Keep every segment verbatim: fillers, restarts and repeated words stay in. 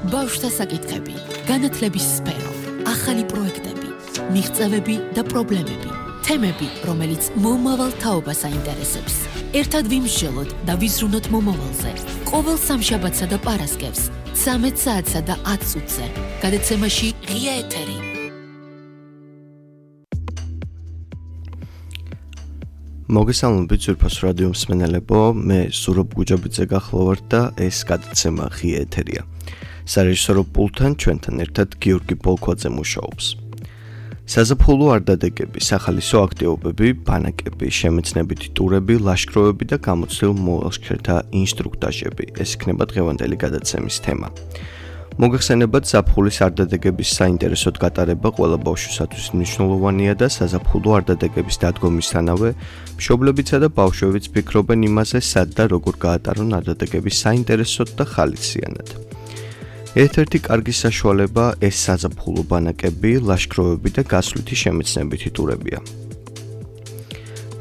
ბავშვთა საკითხები, განათლების სფერო, ახალი პროექტები, მიღწევები და პრობლემები, თემები, რომელიც მომავალ თაობას აინტერესებს. ერთად ვიმსჯელოთ და ვიზრუნოთ მომავალზე. ყოველ სამშაბათსა და პარასკევს, ცამეტ საათსა და ათ წუთზე, გადაცემაში ღია ეთერი. მოგესალმებით ძვირფას რადიო მსმენელებო, მე ზურაბ გუჯაბიძე გახლავართ და ეს გადაცემა ღია ეთერია. სარეჟისორო პულტთან ჩვენთან ერთად გიორგი პოლქვაძე მუშაობს. საზაფხულო არდადეგები, სახალისო აქტივობები, ბანაკები, შემეცნებითი ტურები, ლაშქრობები და გამოცდილ მოლაშქრეთა ინსტრუქტაჟები. ეს იქნება დღევანდელი გადაცემის თემა. მოგეხსენებათ, ზაფხულის არდადეგების საინტერესოდ გატარება ყველა ბავშვისათვის მნიშვნელოვანია და საზაფხულო არდადეგების დადგომისთანავე მშობლებიცა და ბავშვებიც ფიქრობენ იმაზე, სად და როგორ გაატარონ არდადეგების საინტერესოდ და ხალისიანად. ერთ-ერთი კარგი საშუალება ეს საზაფხულო ბანაკები, ლაშქრობები და გასვლითი შემეცნებითი ტურებია.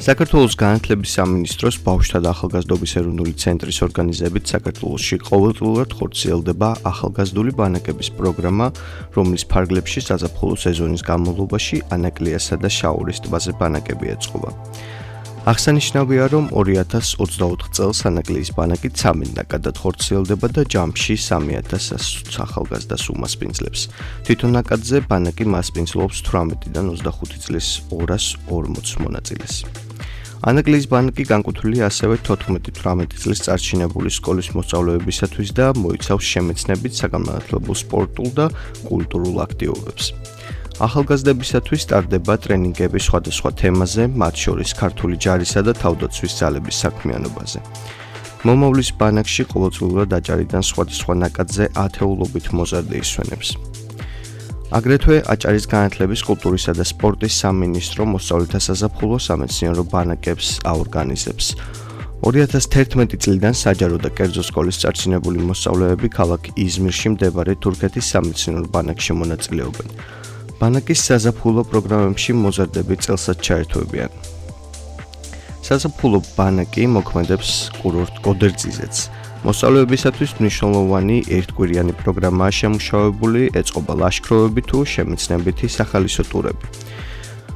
საქართველოს განათლების სამინისტროს ბავშვთა და ახალგაზრდობის ეროვნული ცენტრის ორგანიზებით საქართველოში ყოველწლიურად ხორციელდება ახალგაზრდული ბანაკების პროგრამა, რომლის ფარგლებში საზაფხულო სეზონის განმავლობაში ანაკლიასა და შაორის ტბაზე ბანაკები ეწყობა. აღსანიშნავია, რომ ორი ათას ოცდაოთხ წელს ანაკლიის ბანაკი ცამეტ ხორციელდება და ჯამში სამი ათას ახალგაზრდას უმასპინძლებს. თვითონ ნაკადზე ბანაკი მასპინძლობს თვრამეტიდან ოცდახუთი წლის ორას ორმოც მონაწილეს. ანაკლიის ბანაკი განკუთვნილია ასევე თოთხმეტი თვრამეტი წლის წარჩინებული სკოლის მოსწავლეებისათვის და მოიცავს შემეცნებით, საგანმანათლებლო სპორტულ და კულტურულ აქტივობებს. ახალგაზრდებისათვის ტარდება ტრენინგები სხვადასხვა თემაზე, მათ შორის ქართული ჯარისა და თავდაცვის ძალების საქმიანობაზე. მომავლის ბანაკში ყოველწლიურად აჭარიდან სხვადასხვა ნაკადზე ათეულობით მოზარდი ისვენებს. აგრეთვე აჭარის განათლების, კულტურისა და სპორტის სამინისტრო მოსწავლეთა საზაფხულო სამეცნიერო ბანაკებს აორგანიზებს. ორი ათას თერთმეტი წლიდან საჯარო და კერძო სკოლის წარჩინებული მოსწავლეები ქალაქ იზმირში მდებარე თურქეთის სამეცნიერო ბანაკში მონაწილეობენ. ბანაკის საზაფხულო პროგრამებში მოზარდები წელსაც ჩაერთვებიან. საზაფხულო ბანაკი მოქმედებს კურორტ გოდერძიზეც. მოსწავლეებისათვის მნიშვნელოვანი ერთკვირიანი პროგრამაა შემუშავებული, ეწყობა ლაშქრობები თუ შემეცნებითი სახალისო ტურები.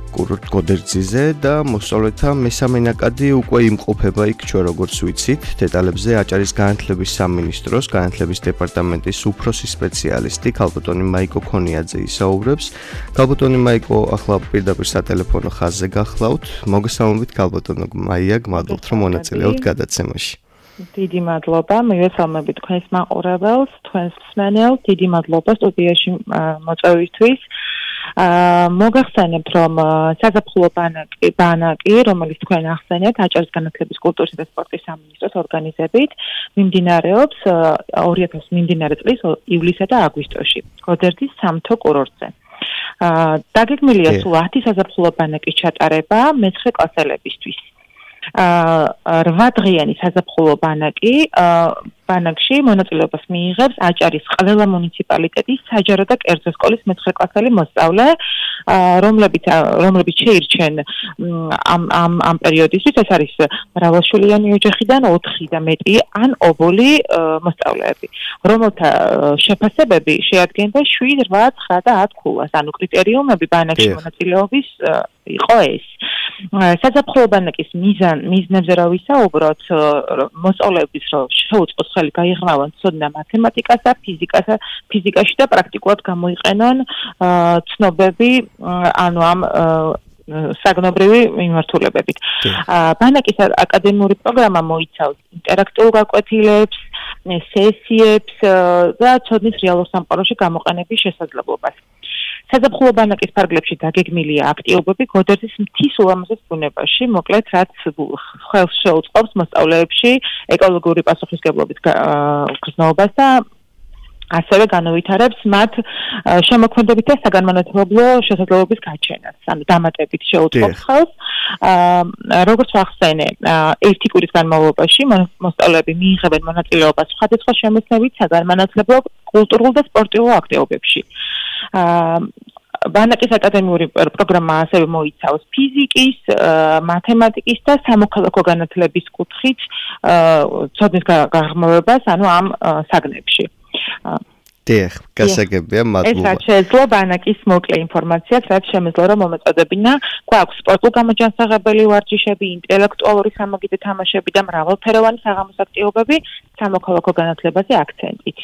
კურორტ გოდერძიზე და მოსწავლეთა მესამე ნაკადი უკვე იმყოფება იქ, ჩვენ როგორც ვიცით, დეტალებზე აჭარის განათლების სამინისტროს განათლების დეპარტამენტის უფროსი სპეციალისტი ქალბატონი მაიკო ქონიაძე ისაუბრებს. ქალბატონი მაიკო ახლა პირდაპირ სატელეფონო ხაზზე გახლავთ. მოგესალმებით ქალბატონო მაია, გმადლობთ რომ მონაწილეობთ გადაცემაში. დიდი მადლობა, მივესალმებით თქვენს მაყურებელს, თქვენს მსმენელს, დიდი მადლობა სტუდიაში მოწვევისთვის. მოგახსენებთ, რომ საზაფხულო ბანაკი, ბანაკი, რომელიც თქვენ ახსენეთ, აჭარის განათლების, კულტურისა და სპორტის სამინისტროს ორგანიზებით, მიმდინარეობს ორი ათას მიმდინარე წლის ივლისსა და აგვისტოში, გოდერძის სამთო კურორტზე. დაგეგმილია სულ ათი საზაფხულო ბანაკის ჩატარება მეცხრე კლასელებისთვის. რვა დღიანი საზაფხულო ბანაკი ბანაკში მონაწილეობას მიიღებს აჭარის ყველა მუნიციპალიტეტის საჯარო და კერძო სკოლის მეცხრე კლასელი მოსწავლე, რომლებიც რომლებიც შეირჩენ ამ ამ ამ პერიოდისთვის, ეს არის მრავალშვილიანი ოჯახიდან ოთხი და მეტი ან ობოლი მოსწავლეები, რომელთა შეფასებები შეადგენდა შვიდ, რვა, ცხრა და ათ ქულას, ანუ კრიტერიუმები ბანაკში მონაწილეობის იყო ეს. საზაფხულო ბანაკის მიზან მიზნებზე რა ვისაუბროთ, მოსწავლეების რომ შეუწყოს ხელი გაიღრმავონ ცოდნა მათემატიკასა, ფიზიკასა, ფიზიკაში და პრაქტიკულად გამოიყენონ ცნობები, ანუ ამ საგნობრივი მიმართულებებით. ბანაკის აკადემიური პროგრამა მოიცავს ინტერაქტიულ გაკვეთილებს, სესიებს და ცოდნის რეალურ სამყაროში გამოყენების შესაძლებლობას. საზაფხულო ბანაკის ფარგლებში დაგეგმილია აქტივობები გოდერძის მთის ულამაზეს ბუნებაში, მოკლედ რაც ხელს შეუწყობს მოსწავლეებში ეკოლოგიური პასუხისმგებლობის გრძნობას და ასევე განუვითარებს მათ შემოქმედებით და საგანმანათლებლო შესაძლებლობის გაჩენას, ანუ დამატებით შეუწყობს ხელს. როგორც ვახსენე, ერთი კვირის განმავლობაში მოსწავლეები მიიღებენ მონაწილეობას სხვადასხვა შემეცნებით, საგანმანათლებლო, კულტურულ და სპორტულ აქტივობებში. ბანაკის აკადემიური პროგრამა ასევე მოიცავს ფიზიკის, მათემატიკის და სამოქალაქო განათლების კუთხით ცოდნის გაღრმავებას, ანუ ამ საგნებში. დიახ, გასაგებია, მადლობა. ეს შეძლო ბანაკის მოკლე ინფორმაციაც, რაც შემეძლო რომ მომეწოდებინა. გვაქვს სპორტულ გამოჯანსაღებელი ვარჯიშები, ინტელექტუალური სამაგიდო თამაშები და მრავალფეროვანი საღამოს აქტივობები სამოქალაქო განათლებაზე აქცენტით.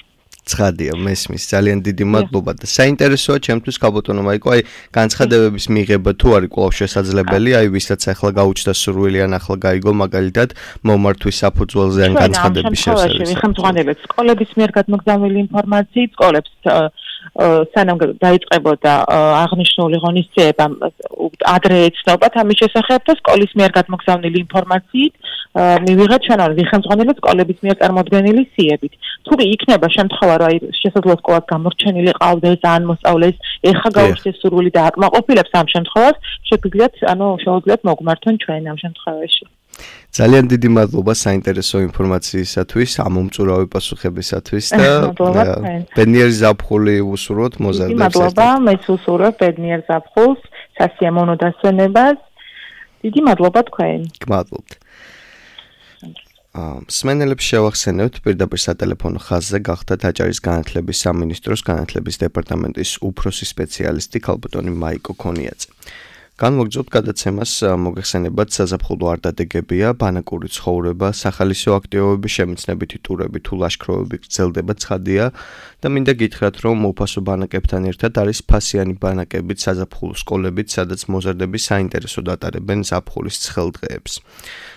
ცხადია, მესმის, ძალიან დიდი მადლობა და საინტერესოა ჩემთვის ქალბატონო მაიკო, აი განცხადებების მიღება თუ არის კვლავ შესაძლებელი, აი ვისაც ახლა გაუჩნდა სურვილი ან ახლა გაიგო მაგალითად მომართვის საფუძველზე ან განცხადების შესაძლებლობა. ხელმძღვანელებს სკოლების მიერ გადმოგზავნილი ინფორმაციით, სკოლებს სანამ დაიწყებოდა აღნიშნული ღონისძიება ადრე ეცნობათ ამის შესახებ და სკოლის მიერ გადმოგზავნილი ინფორმაციით მივიღეთ ჩვენ ორი ხელმძღვანელებს სკოლების მიერ წარმოდგენილი სიებით. თუ იქნება შემთხვევა რომ აი შესაძლოა სკოლას გამორჩენილი ყავდეს ან მოსწავლეს ეხა გაუჩნდეს სურვილი და აკმაყოფილებს ამ შემთხვევას შეგვიძლიათ ანუ შეუძლიათ მოგმართონ ჩვენ ამ შემთხვევაში. ძალიან დიდი მადლობა საინტერესო ინფორმაციისათვის, ამომწურავი პასუხებისათვის და ბედნიერი ზაფხული უსურვოთ მოზარდებს. მადლობა, მეც უსურვებ ბედნიერ ზაფხულს, სასიამოვნო დასვენებას. დიდი მადლობა თქვენ. გმადლობთ. მსმენელებს შევახსენებთ პირდაპირ სატელეფონო ხაზზე გახდათ აჭარის განათლების სამინისტროს განათლების დეპარტამენტის უფროსი სპეციალისტი ქალბატონი მაიკო ქონიაძე. განმოგრძობთ გადაცემას მოგეხსენებათ საზაფხულო არდადეგებია, ბანაკური ცხოვრება, სახალისო აქტივობები, შემეცნებითი ტურები თუ ლაშქრობები გრძელდება ცხადია და მინდა გითხრათ, რომ უფასო ბანაკებთან ერთად არის ფასიანი ბანაკებით საზაფხულო სკოლებიც, სადაც მოზარდები საინტერესოდ ატარებენ ზაფხულის ცხელდღეებს.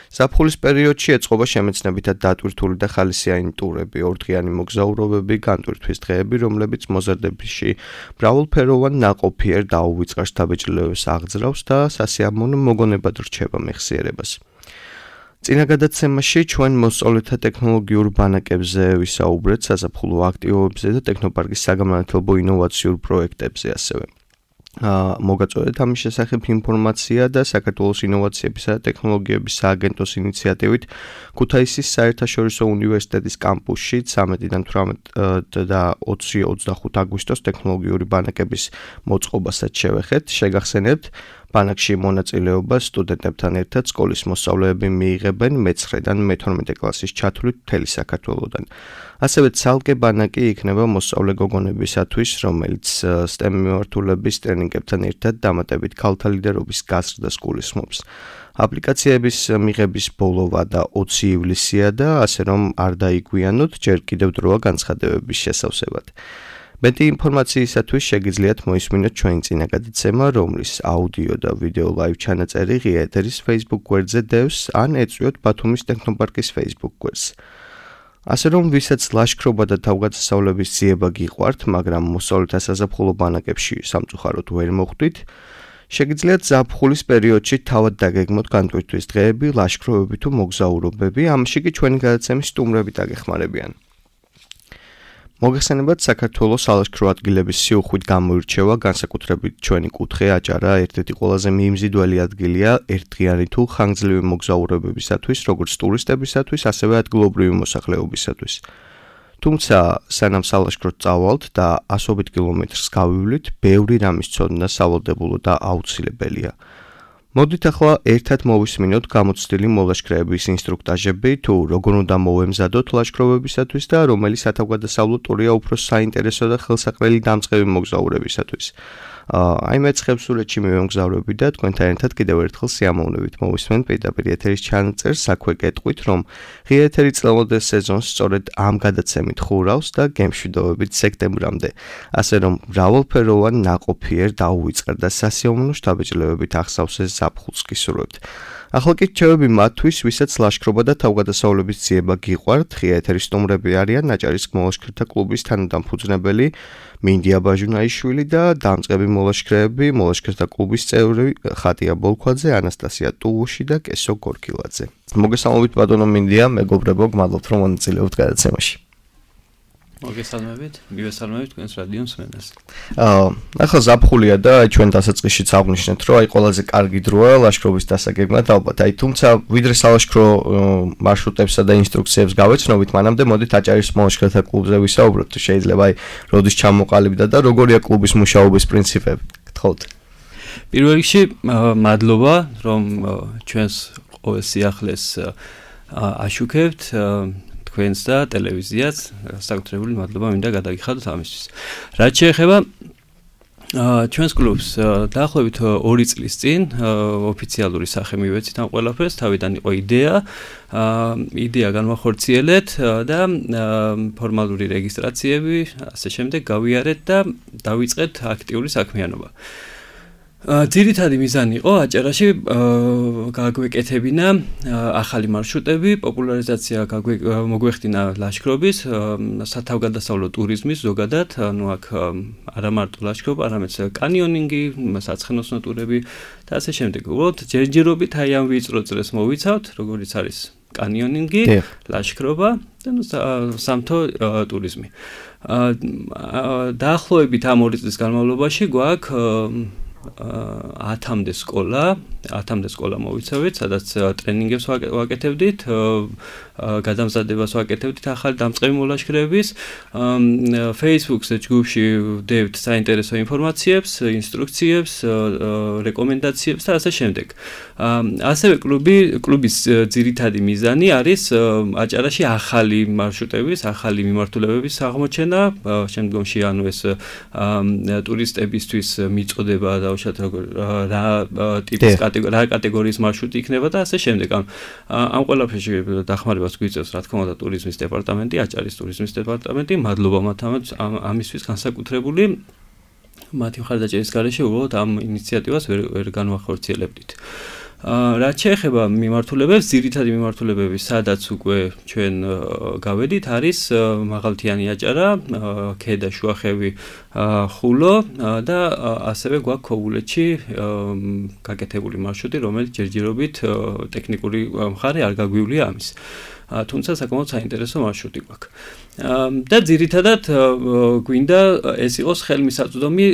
ზაფხულის პერიოდში ეწყობა შემეცნებითად დატვირთული და ხალისიანი ტურები, ორდღიანი მოგზაურობები, განტვირთვის დღეები, რომლებიც მოზარდებში მრავალფეროვან ნაყოფიერ დაუვიწყარ შთაბეჭდილებას აღძრავს და სასიამოვნო მოგონებად რჩება მეხსიერებას. წინა გადაცემაში ჩვენ მოსწავლეთა ტექნოლოგიურ ბანაკებზე ვისაუბრეთ, საზაფხულო აქტივობებზე და ტექნოპარკის საგანმანათლებლო ინოვაციურ პროექტებზე ასევე. მოგაწოდეთ ამის შესახებ ინფორმაცია და საქართველოს ინოვაციებისა და ტექნოლოგიების სააგენტოს ინიციატივით ქუთაისის საერთაშორისო უნივერსიტეტის კამპუსში ცამეტიდან თვრამეტ და ოცი ოცდახუთ აგვისტოს ტექნოლოგიური ბანაკების მოწყობასაც შევეხეთ. შეგახსენებთ, ბანაკში მონაწილეობას სტუდენტებთან ერთად სკოლის მოსწავლეები მიიღებენ მეცხრედან მეთორმეტე კლასის ჩათვლით მთელი საქართველოდან. ასევე ცალკე ბანაკი იქნება მოსწავლე გოგონებისათვის, რომელიც STEM მიმართულების ტრენინგებთან ერთად დამატებით ქალთა ლიდერობის გაზრდას გულისხმობს. აპლიკაციების მიღების ბოლოვა და ოცი ივლისია და ასე რომ არ დაიგვიანოთ, ჯერ კიდევ დროა განცხადებების შესავსებად. მეტი ინფორმაციისათვის შეგიძლიათ მოისმინოთ ჩვენი წინა გადაცემა, რომლის აუდიო და ვიდეო ლაივ ჩანაწერი ღია ეთერის Facebook გვერდზე დევს, ან ეწვიოთ ბათუმის ტექნოპარკის Facebook გვერდს. ასე რომ ვისაც ლაშქრობა და თავგადასავლების ძიება გიყვართ, მაგრამ მოსწავლეთა საზაფხულო ბანაკებში სამწუხაროდ ვერ მოხვდით, შეგიძლიათ ზაფხულის პერიოდში თავად დაგეგმოთ განტვირთვის დღეები, ლაშქრობები თუ მოგზაურობები, ამაში კი ჩვენი გადაცემის სტუმრები დაგეხმარებიან. მოგეხსენებათ, საქართველოს სალაშქრო ადგილების სიუხვით გამოირჩევა, განსაკუთრებით ჩვენი კუთხე აჭარა ერთ-ერთი ყველაზე მიიმზიდველი ადგილია ერთდღიანი თუ ხანგრძლივი მოგზაურობებისათვის, როგორც ტურისტებისათვის, ასევე ადგილობრივი მოსახლეობისათვის. თუმცა, სანამ სალაშქროდ წავალთ და ასობით კილომეტრს გავივლით, ბევრი რამის ცოდნა სავალდებულო და აუცილებელია. მოდით ახლა ერთად მოვისმინოთ გამოცდილი მოლაშქრეების ინსტრუქტაჟები, თუ როგორ უნდა მოვემზადოთ ლაშქრობებისათვის და რომელი სათავგადასავლო ტურია უფრო საინტერესო და ხელსაყრელი დამწყები მოგზაურებისათვის. აი მე ცხებსურეთში მივემგზავრები და თქვენთან ერთად კიდევ ერთხელ სიამოვნებით მოვისმენთ პირდაპირ ეთერის ჩანაწერს, საქვე კეტყვით, რომ ღია ეთერი წლევანდელ სეზონს სწორედ ამ გადაცემით ხურავს და გემშვიდობებით სექტემბრამდე. ასე რომ მრავალფეროვან ნაყოფიერ დაუვიწყარ და სასიამოვნო შთაბეჭდილებით ახსავსეს ზაფხულს გისურვებთ. ახლა კი რჩევები მათთვის, ვისაც ლაშქრობა და თავგადასავლების ძიება გიყვართ, ღია ეთერის სტუმრები არიან აჭარის მოლაშქრეთა კლუბის თანადამფუძნებელი მინდია ბაჟუნაიშვილი და დამწყები მოლაშქრეები, მოლაშქრეთა კლუბის წევრი ხატია ბოლქვაძე, ანასტასია ტუვუში და კესო გორკილაძე. მოგესალმებით ბატონო მინდია, მეგობრებო, გმადლობთ რომ მონაწილეობთ გადაცემაში. მოგესალმებით, მივესალმებით თქვენს რადიო მსმენელს. აა, ახლა ზაფხულია და ჩვენ დასაწყისშიც აღნიშნეთ, რომ აი ყველაზე კარგი დროა ლაშქრობის დასაგეგმად ალბათ. აი, თუმცა ვიდრე სალაშქრო მარშრუტებსა და ინსტრუქციებს გავეცნობით, მანამდე მოდით აჭარის მოლაშქრეთა კლუბზე ვისაუბროთ. შეიძლება აი, როდის ჩამოყალიბდა და როგორია კლუბის მუშაობის პრინციპები. გთხოვთ. პირველ რიგში, მადლობა, რომ ჩვენს ყოველ სიახლეს აშუქებთ. თქვენს და ტელევიზიაც საკუთრებული მადლობა მინდა გადაგიხადოთ ამისთვის. რაც შეეხება ჩვენს კლუბს დაახლოებით ორი წლის წინ ოფიციალური სახე მივეცით ამ ყველაფერს, თავიდან იყო იდეა, იდეა განვახორციელეთ და ფორმალური რეგისტრაციები, ასე შემდეგ გავიარეთ და დავიწყეთ აქტიური საქმიანობა. ძირითადი მიზანი იყო აჭარაში გაგვეკეთებინა ახალი მარშრუტები, პოპულარიზაცია მოგვეხდინა ლაშქრობის, სათავგადასავლო ტურიზმის ზოგადად, ანუ აქ არა მარტო ლაშქრობა, არამედ კანიონინგი, საცხენოსნო ტურები და ასე შემდეგ. უბრალოდ ჯერჯერობით აი ამ ვიწრო წრეს მოვიცავთ, როგორც არის კანიონინგი, ლაშქრობა და სამთო ტურიზმი. დაახლოებით ამ ორი წლის განმავლობაში გვაქვს ათამდე სკოლა, ათამდე სკოლა მოვიცავით, სადაც ტრენინგებს ვაკეთებდით, გადამზადებას ვაკეთებდით ახალი დამწყები მოლაშქრეების, Facebook-ზე ჯგუფში ვდევთ საინტერესო ინფორმაციებს, ინსტრუქციებს, რეკომენდაციებს და ასე შემდეგ. ასევე კლუბი, კლუბის ძირითადი მიზანი არის აჭარაში ახალი მარშრუტების, ახალი მიმართულებების აღმოჩენა, შემდგომში ანუ ეს ტურისტებისთვის მიწოდება და უშუალოდ რა ტიპის რა კატეგორიის მარშრუტი იქნება და ასე შემდეგ. ამ ყველაფერში დახმარებას გვიწევს რა თქმა უნდა ტურიზმის დეპარტამენტი, აჭარის ტურიზმის დეპარტამენტი, მადლობა მათ ამისთვის განსაკუთრებული. მათი მხარდაჭერის გარეშე უბრალოდ ამ ინიციატივას ვერ ვერ განვახორციელებდით. რაც შეეხება მიმართულებებს, ძირითადი მიმართულებები, სადაც უკვე ჩვენ გავედით, არის მაღალმთიანი აჭარა, ქედა, შუახევი, ხულო და ასევე გვაქვს ქობულეთში გაკეთებული მარშრუტი, რომელიც ჯერჯერობით ტექნიკური მხარე არ გაგვივლია ამის. თუმცა საკმაოდ საინტერესო მარშრუტი გვაქვს. და ძირითადად გვინდა ეს იყოს ხელმისაწვდომი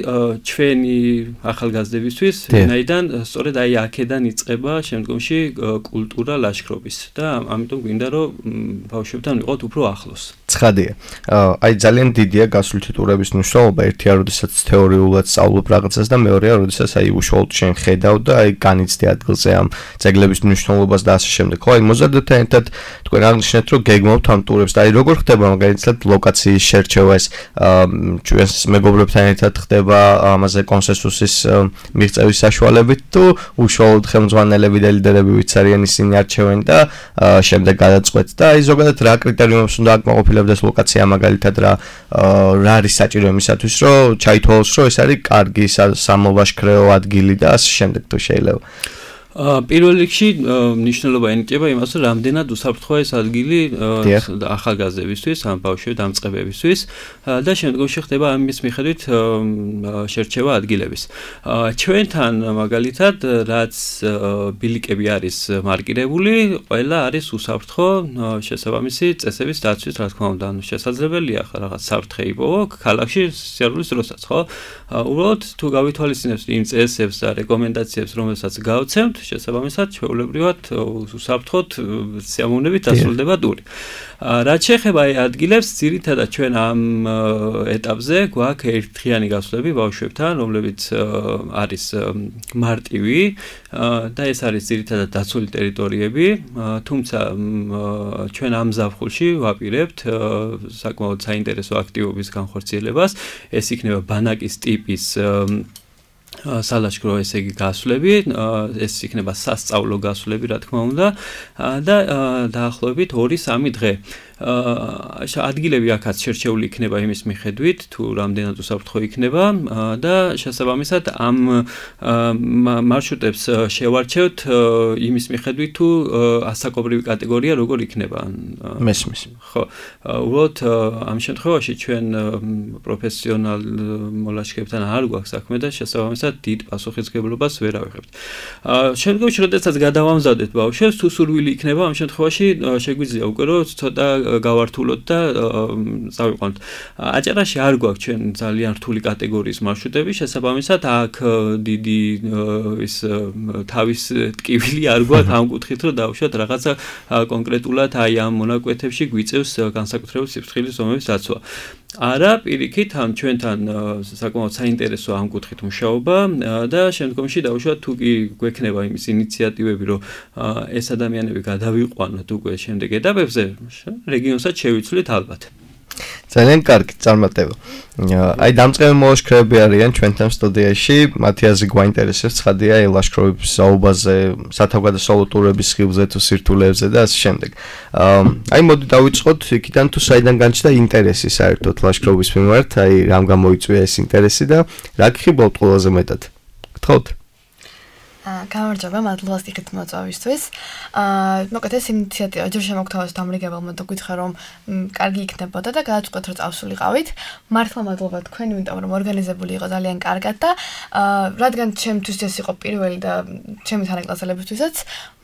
ჩვენი ახალგაზრდებისთვის, ვინაიდან სწორედ აი აქედან იწყება შემდგომში კულტურა ლაშქრობის და ამიტომ გვინდა რომ ბავშვებთან ვიყოთ უფრო ახლოს. ცხადია. აი ძალიან დიდია გასვლითი ტურების მნიშვნელობა, ერთია როდესაც თეორიულად სწავლობ რაღაცას და მეორეა როდესაც აი უშუალოდ შენ ხედავ და აი განიცდი ადგილზე ამ ძეგლების მნიშვნელობას და ასე შემდეგ. ხო, აი მოზარდებთან ერთად თქვენ აღნიშნეთ რომ გეგმავთ ამ ტურებს და აი როგორ ხდება მაგალითად ლოკაციის შერჩევა ეს ჩვენს მეგობრებთან ერთად ხდება ამაზე კონსენსუსის მიღწევის საშუალებით თუ უშუალოდ ხელმძღვანელები და ლიდერები ვიც არიან ისინი არჩევენ და შემდეგ გადაწყვეტ და აი ზოგადად რა კრიტერიუმებს უნდა აკმაყოფილებდეს ლოკაცია მაგალითად რა რა არის საჭირო იმისათვის რომ ჩაითვალოს რომ ეს არის კარგი სამოვაშქრეო ადგილი და ასე შემდეგ თუ შეიძლება. პირველ რიგში მნიშვნელობა ენიჭება იმას, რომ რამდენად უსაფრთხოა ეს ადგილი ახალგაზრდებისთვის, ამ ბავშვების დამწყებებისთვის და შემდგომში ხდება ამის მიხედვით შერჩევა ადგილების. ჩვენთან მაგალითად, რაც ბილიკები არის მარკირებული, ყველა არის უსაფრთხო შესაბამისი წესების დაცვის, რა თქმა უნდა, ანუ შესაძლებელია რაღაც საფრთხე იპოვო ქალაქში სიარულის დროსაც, ხო? უბრალოდ თუ გავითვალისწინებთ იმ წესებს და რეკომენდაციებს, რომელსაც გავცემთ, შესაბამისად ჩვეულებრივად უსაფრთხოდ სიამოვნებით დასრულდება ტური. რაც შეეხება აი ადგილებს, ძირითადად ჩვენ ამ ეტაპზე გვაქვს ერთდღიანი გასვლები ბავშვებთან, რომლებიც არის მარტივი და ეს არის ძირითადად დაცული ტერიტორიები, თუმცა ჩვენ ამ ზაფხულში ვაპირებთ საკმაოდ საინტერესო აქტივობის განხორციელებას, ეს იქნება ბანაკის ტიპის სალაშქრო ესე იგი გასვლები, ეს იქნება სასწავლო გასვლები, რა თქმა უნდა, და დაახლოებით ორი სამი დღე. ადგილები აქაც შერჩეული იქნება იმის მიხედვით, თუ რამდენად უსაფრთხო იქნება და შესაბამისად ამ მარშრუტებს შევარჩევთ იმის მიხედვით, თუ ასაკობრივი კატეგორია როგორ იქნება. მესმის. ხო, უბრალოდ ამ შემთხვევაში ჩვენ პროფესიონალ მოლაშქრეებთან არ გვაქვს საქმე და შესაბამისად დიდ პასუხისმგებლობას ვერ ავიღებთ. შემდგომში, როდესაც გადავამზადეთ ბავშვებს, თუ სურვილი იქნება, ამ შემთხვევაში შეგვიძლია უკვე რომ ცოტა გავართულოთ და წავიყვანოთ. აჭარაში არ გვაქვს ჩვენ ძალიან რთული კატეგორიის მარშრუტები, შესაბამისად აქ დიდი ის თავის ტკივილი არ გვაქვს ამ კუთხით, რომ დავუშვათ რაღაცა კონკრეტულად აი ამ მონაკვეთებში გვიწევს განსაკუთრებული სიფრთხილის ზომების დაცვა. არა, პირიქით, ამ ჩვენთან საკმაოდ საინტერესო ამ კუთხით მუშაობა და შემდგომში დავუშვათ თუ კი გვექნება იმის ინიციატივები, რომ ეს ადამიანები გადავიყვანოთ უკვე შემდეგ ეტაპებზე, რეგიონსაც შევიცვლით ალბათ. ძალიან კარგი წარმატება. აი დამწყები მოლაშქრეები არიან ჩვენთან სტუდიაში, მათი აზრი გვაინტერესებს, ცხადია ლაშქრობის საუბაზე, სათავგადასავლო ტურების ხილზე თუ სირთულეებზე და ასე შემდეგ. აი მოდი დავიწყოთ იქიდან თუ საიდან განჩნდა ინტერესი საერთოდ ლაშქრობის მიმართ, აი რამ გამოიწვია ეს ინტერესი და რა გხიბლავთ ყველაზე მეტად? გთხოვთ. გამარჯობა, მადლობა სტიქით მოწვევისთვის. აა, მოკლედ ეს ინიციატივა ჯერ შემოგთავაზეთ დამრიგებელმა და გითხრა რომ კარგი იქნებოდა და გადაწყვეტ რომ წავსულიყავით. მართლა მადლობა თქვენ, იმიტომ რომ ორგანიზებული იყო ძალიან კარგად და აა, რადგან ჩემთვის ეს იყო პირველი და ჩემი თანაკლასელებისთვისაც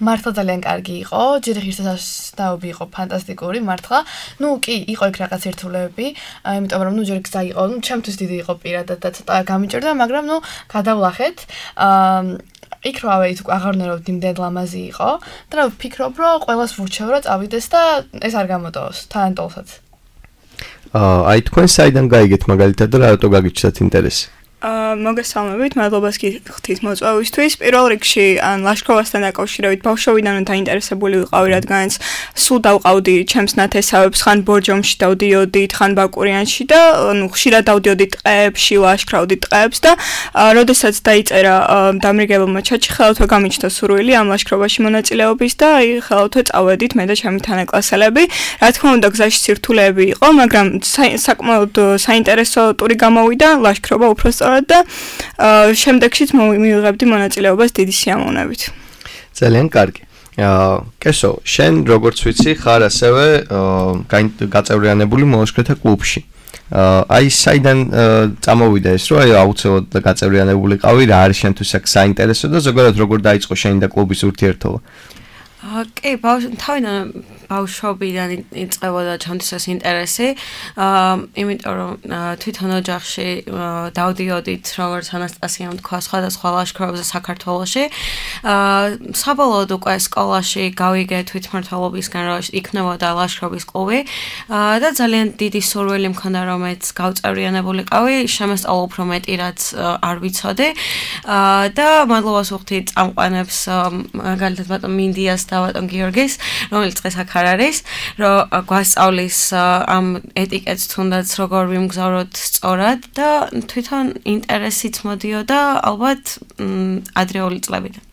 მართლა ძალიან კარგი იყო. ჯერ ღირსებას დაობი იყო ფანტასტიკური, მართლა. ნუ კი, იყო იქ რაღაც ერთულები, იმიტომ რომ ნუ ჯერ გზა იყო, ნუ ჩემთვის დიდი იყო პირადად და ცოტა გამიჭირდა, მაგრამ ნუ გადავლახეთ. აა იქ რო ავეით აღარ ნერვობთ იმდენ ლამაზი იყო და ვფიქრობ რომ ყველას ვურჩევ რომ წავიდეს და ეს არ გამოტოვოს თანატოლსაც. აა აი თქვენ საიდან გაიგეთ მაგალითად და რატო გაგიჩნდათ ინტერესი? აა მოგესალმებით, მადლობას გიხდით მოწვევისთვის. პირველ რიგში ან ლაშქრობასთან დაკავშირებით ბავშვობიდან დაინტერესებული ვიყავი, რადგანაც სულ დავყავდი ჩემს ნათესავებს, ხან ბორჯომში დავდიოდით, ხან ბაკურიანში და ნუ ხშირად დავდიოდი ტყეებში, ლაშქრავდი ტყეებს და როდესაც დაიწერა დამრიგებელმა ჩაჩი, ხელათვე გამიჩნდა სურვილი ამ ლაშქრობაში მონაწილეობის და აი ხელათვე წავედით მე და ჩემი თანაკლასელები. რა თქმა უნდა, გზაში სირთულეები იყო, მაგრამ საკმაოდ საინტერესო ტური გამოვიდა, ლაშქრობა უფრო და შემდეგშიც მივიღებდი მონაწილეობას დიდი სიამოვნებით. ძალიან კარგი. კესო, შენ როგორც ვიცი, ხარ ასევე გაწევრიანებული მოლაშქრეთა კლუბში. აი საიდან წამოვიდა ეს, რომ აი აუცილებლად გაწევრიანებულიყავი, რა არის შენთვის აქ საინტერესო და ზოგადად როგორ დაიწყო შენი და კლუბის ურთიერთობა? კი, თავიდან ბავშვობიდან იწყებოდა ჩემთვის ეს ინტერესი. აა, იმიტომ რომ თვითონ ოჯახში დავდიოდით, როგორც ანასტასიამ თქვა, სხვადასხვა ლაშქრობებზე საქართველოში. აა, საბოლოოდ უკვე სკოლაში გავიგე თვითმმართველობისგან, რომ იქნებოდა ლაშქრობის კლუბი. აა, და ძალიან დიდი სურვილი მქონდა, რომ მეც გავწევრიანებულიყავი, შემესწავლა უფრო მეტი, რაც არ ვიცოდი. აა, და მადლობას ვუხდი წამყვანებს, მაგალითად ბატონ მინდიას და ბატონ გიორგის, რომელიც დღეს აქ არ არის, რომ გვასწავლის ამ ეტიკეტს თუნდაც როგორ ვიმგზავროთ სწორად და თვითონ ინტერესიც მოდიოდა ალბათ ადრეული წლებიდან.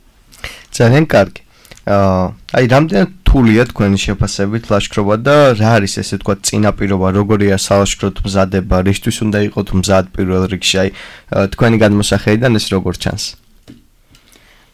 ძალიან კარგი. აი რამდენად რთულია თქვენი შეფასებით ლაშქრობა და რა არის ესე თქვა წინაპირობა, როგორია სალაშქროთ მზადება, რისთვის უნდა იყოთ მზად პირველ რიგში, აი თქვენი გადმოსახედიდან ეს როგორ ჩანს?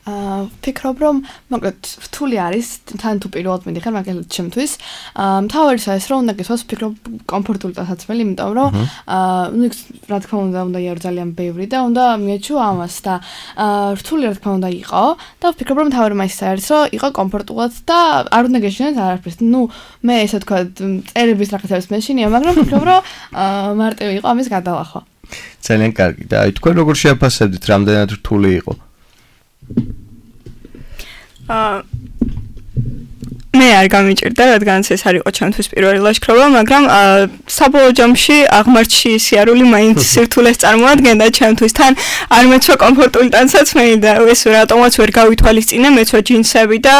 აა ფიქრობ რომ მოკლედ რთული არის თან თუ პირველად მიდიხარ მაგალითად ჩემთვის აა მთავარია ეს რომ უნდა გესვას ფიქრობ კომფორტული დასაცმელი იმიტომ რომ აა ნუ რა თქმა უნდა უნდა იარო ძალიან ბევრი და უნდა მიეჩუ ამას და აა რთული რა თქმა უნდა იყო და ფიქრობ რომ მთავარი მაინც არის რომ იყო კომფორტულად და არ უნდა გეშინოთ არაფერს ნუ მე ესე თქვა წერების რაღაცებს მეშინია მაგრამ ფიქრობ რომ აა მარტივი იყო ამის გადალახვა ძალიან კარგი და აი თქვენ როგორ შეაფასებდით რამდენად რთული იყო აა მე არ გამიჭირდა, რადგანაც ეს არ იყო ჩემთვის პირველი ლაშქრობა, მაგრამ საბოლოო ჯამში აღმართში სიარული მაინც სირთულეს წარმოადგენდა ჩემთვის. თან არ მეცვა კომფორტული ტანსაცმელი და ეს რატომაც ვერ გავითვალისწინე, მეცვა ჯინსები და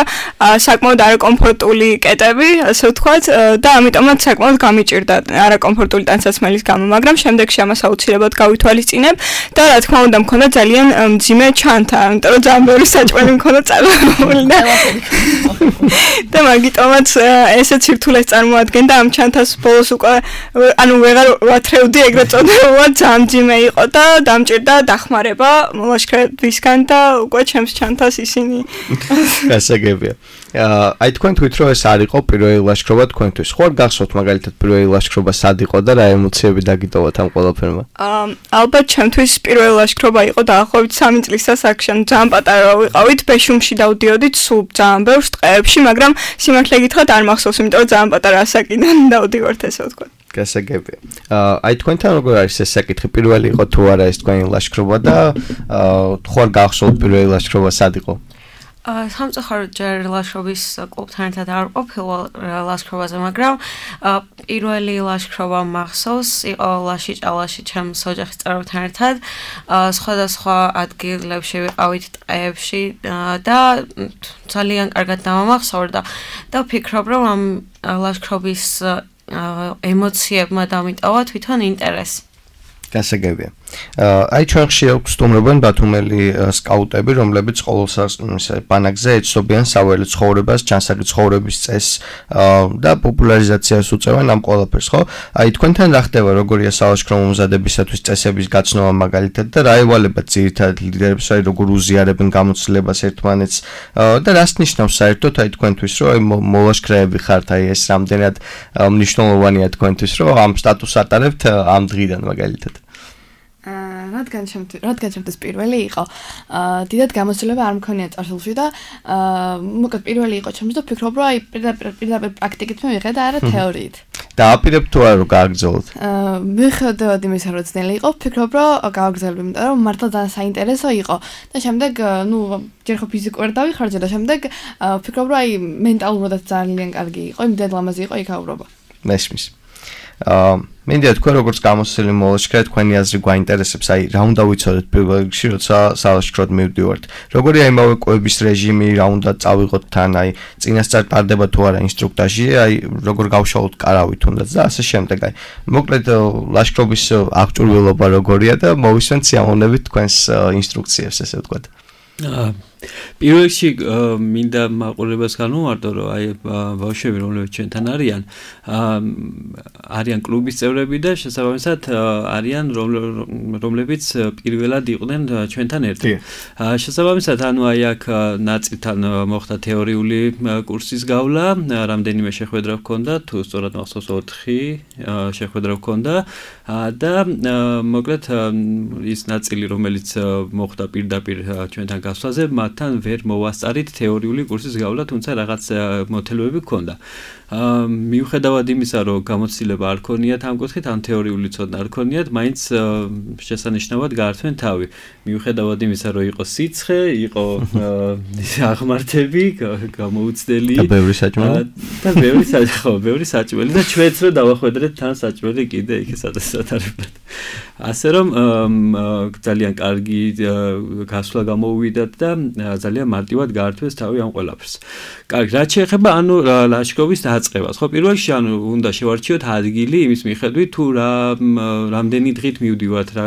საკმაოდ არაკომფორტული კეტები, ასე ვთქვათ, და ამიტომაც საკმაოდ გამიჭირდა არაკომფორტული ტანსაცმელის გამო, მაგრამ შემდეგში ამას აუცილებლად გავითვალისწინებ და რა თქმა უნდა მქონდა ძალიან მძიმე ჩანთა, იმიტომ რომ ძალიან ბევრი საჭმელი მქონდა წარმოებული და მაგიტომაც ესეც სირთულეს წარმოადგენდა ამ ჩანთას ბოლოს უკვე ანუ ვეღარ ვათრევდი ეგრეთ წოდებული ძალიან ძიმე იყო და დამჭირდა დახმარება ლაშქრებისგან და უკვე ჩემს ჩანთას ისინი გასაგებია აი თქვენ თქვით რომ ეს არ იყო პირველი ლაშქრობა თქვენთვის ხო არ გახსოვთ მაგალითად პირველი ლაშქრობა სად იყო და რა ემოციები დაგიტოვოთ ამ ყველაფერმა ალბათ ჩემთვის პირველი ლაშქრობა იყო დაახლოებით სამი წლის ასაკში ძალიან პატარა ვიყავით ბეშუმში დავდიოდით სულ ძალიან ბევრ ტყეებში მაგრამ სიმართლე გითხრათ არ მახსოვს იმიტომ რომ ძალიან პატარა ასაკიდან დავდივართ ესე ვთქვათ გასაგებია. აი თქვენთან როგორ არის ეს საკითხი? პირველი იყო თუ არა ეს თქვენი ლაშქრობა და თუ არ გახსოვთ პირველი ლაშქრობა სად იყო? სამწუხაროდ ჯერ ლაშქრობის კლუბთან ერთად არ ყოფილა ლაშქრობაზე, მაგრამ პირველი ლაშქრობა მახსოვს, იყო ლაშიჭალაში ჩემს ოჯახის წევრებთან ერთად, სხვადასხვა ადგილებში ვიყავით ტყეებში და ძალიან კარგად დამამახსოვრდა და ვფიქრობ, რომ ამ ლაშქრობის ემოციებმა დამიტოვა თვითონ ინტერესი. გასაგებია. აი ჩვენ ხშირად გვსტუმრობენ ბათუმელი სკაუტები, რომლებიც ყოველ ბანაკზე ეცნობიან საველე ცხოვრებას, ჩანსაკი ცხოვრების წესს და პოპულარიზაციას უწევენ ამ ყველაფერს, ხო? აი თქვენთან რა ხდება, როგორია სალაშქრო მომზადებისათვის წესების გაცნობა მაგალითად და რა ევალებათ ძირითადად ლიდერებს, აი როგორ უზიარებენ გამოცდილებას ერთმანეთს და რას ნიშნავს საერთოდ აი თქვენთვის, რომ აი მოლაშქრეები ხართ, აი ეს რამდენად მნიშვნელოვანია თქვენთვის, რომ ამ სტატუსს ატარებთ ამ დღიდან მაგალითად. აა რადგან ჩემთვის რადგან ჩემთვის პირველი იყო აა დიდად გამოცდილება არ მქონია წარსულში და აა მოკლედ პირველი იყო ჩემთვის და ვფიქრობ რომ აი პირდაპირ პირდაპირ პრაქტიკით მივიღე და არა თეორიით და აპირებ თუ არა რომ გააგრძელოთ აა მიხედავად იმისა რომ ძნელი იყო ვფიქრობ რომ გავაგრძელებ იმიტომ რომ მართლა ძალიან საინტერესო იყო და შემდეგ ნუ ჯერ ხო ფიზიკურად დავიხარჯე და შემდეგ ვფიქრობ რომ აი მენტალურადაც ძალიან კარგი იყო იმდენ ლამაზი იყო იქაურობა მესმის აა მინდა თქვენ როგორც გამოცდილი მოლაშქრე თქვენი აზრი გვაინტერესებს აი რა უნდა ვიცოდეთ პირველ რიგში როცა სალაშქროდ მივდივართ როგორია იმავე კვების რეჟიმი რა უნდა წავიღოთ თან აი წინასწარ ტარდება თუ არა ინსტრუქტაჟი აი როგორ გავშალოთ კარავით თუნდაც და ასე შემდეგ აი მოკლედ ლაშქრობის აღჭურვილობა როგორია და მოვისმენთ სიამოვნებით თქვენს ინსტრუქციებს ესე ვთქვათ პირველ რიგში მინდა მაყურებლებს განვმარტო რომ აი ბავშვები რომლებიც ჩვენთან არიან არიან კლუბის წევრები და შესაბამისად არიან რომლებიც პირველად იყვნენ ჩვენთან ერთად. შესაბამისად ანუ აი აქ ნაწილთან მოხდა თეორიული კურსის გავლა, რამდენიმე შეხვედრა ჰქონდა, თუ სწორად მახსოვს ოთხი შეხვედრა ჰქონდა და მოკლედ ის ნაწილი რომელიც მოხდა პირდაპირ ჩვენთან გასვლაზე თან ვერ მოვასწარით თეორიული კურსის გავლა, თუმცა რაღაც მოთელვები ჰქონდა. მიუხედავად იმისა, რომ გამოცდილება არ ქონიათ ამ კუთხით, ან თეორიული ცოდნა არ ქონიათ, მაინც შესანიშნავად გაართვენ თავი. მიუხედავად იმისა, რომ იყო სიცხე, იყო აღმართები, გამოუცდელი და ბევრი საჭმელი და ბევრი საჭმელი, ბევრი საჭმელი და ჩვენც რომ დავახვედრეთ თან საჭმელი კიდე იქ სადასათარებლად. ასე რომ ძალიან კარგი გასვლა გამოუვიდათ და ძალიან მარტივად გაართვეს თავი ამ ყველაფერს. კარგი, რაც შეეხება ანუ ლაშქრობის დაწყებას, ხო, პირველ რიგში ანუ უნდა შევარჩიოთ ადგილი იმის მიხედვით, თუ რა რამდენი დღით მივდივართ, რა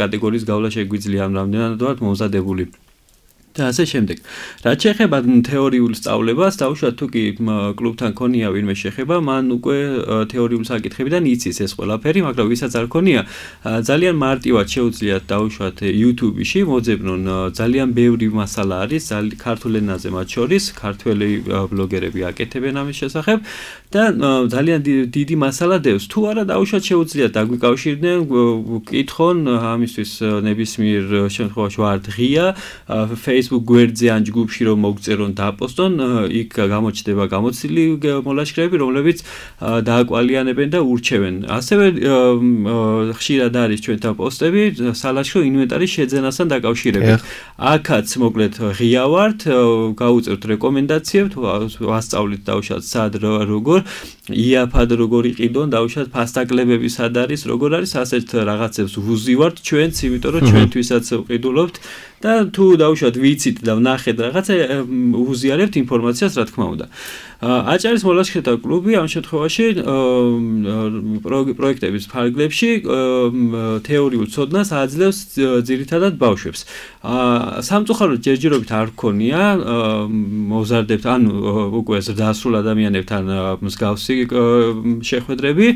კატეგორიის გავლა შეგვიძლია, ამ რამდენად ვართ მომზადებული. და ასე შემდეგ. რაც შეეხება თეორიულ სწავლებას, დაუშვათ თუ კი კლუბთან ქონია ვინმე შეხება, მან უკვე თეორიულ საკითხებიდან იცის ეს ყველაფერი, მაგრამ ვისაც არ ქონია, ძალიან მარტივად შეუძლიათ დაუშვათ YouTube-ში, მოძებნონ ძალიან ბევრი მასალა არის, ქართულ ენაზე მათ შორის, ქართველი ბლოგერები აკეთებენ ამის შესახებ და ძალიან დიდი მასალა დევს. თუ არა დაუშვათ შეუძლიათ დაგვიკავშირდნენ, ვკითხონ ამისთვის ნებისმიერ შემთხვევაში ვარ ღია Facebook გვერდზე ან ჯგუფში რომ მოგწერონ და აპოსტონ, იქ გამოჩნდება გამოცდილი მოლაშქრეები, რომლებიც დააკვალიანებენ და ურჩევენ. ასევე ხშირად არის ჩვენთან პოსტები სალაშქრო ინვენტარის შეძენასთან დაკავშირებით. აქაც მოკლედ ღია ვართ, გაუწევთ რეკომენდაციებს, ვასწავლით დაუშვათ სად როგორ იაფად როგორ იყიდონ, დაუშვათ ფასტაკლებები სად არის, როგორ არის, ასეთ რაღაცებს ვუზივართ ჩვენც, იმიტომ რომ ჩვენთვისაც ვყიდულობთ და თუ დაუშვათ ვიცით და ვნახეთ რაღაცა უზიარებთ ინფორმაციას რა თქმა უნდა. აჭარის მოლაშქრეთა კლუბი ამ შემთხვევაში პროექტების ფარგლებში თეორიულ ცოდნას აძლევს ძირითადად ბავშვებს. სამწუხაროდ ჯერჯერობით არ გქონია მოზარდებთ ანუ უკვე ზრდასრულ ადამიანებთან მსგავსი შეხვედრები,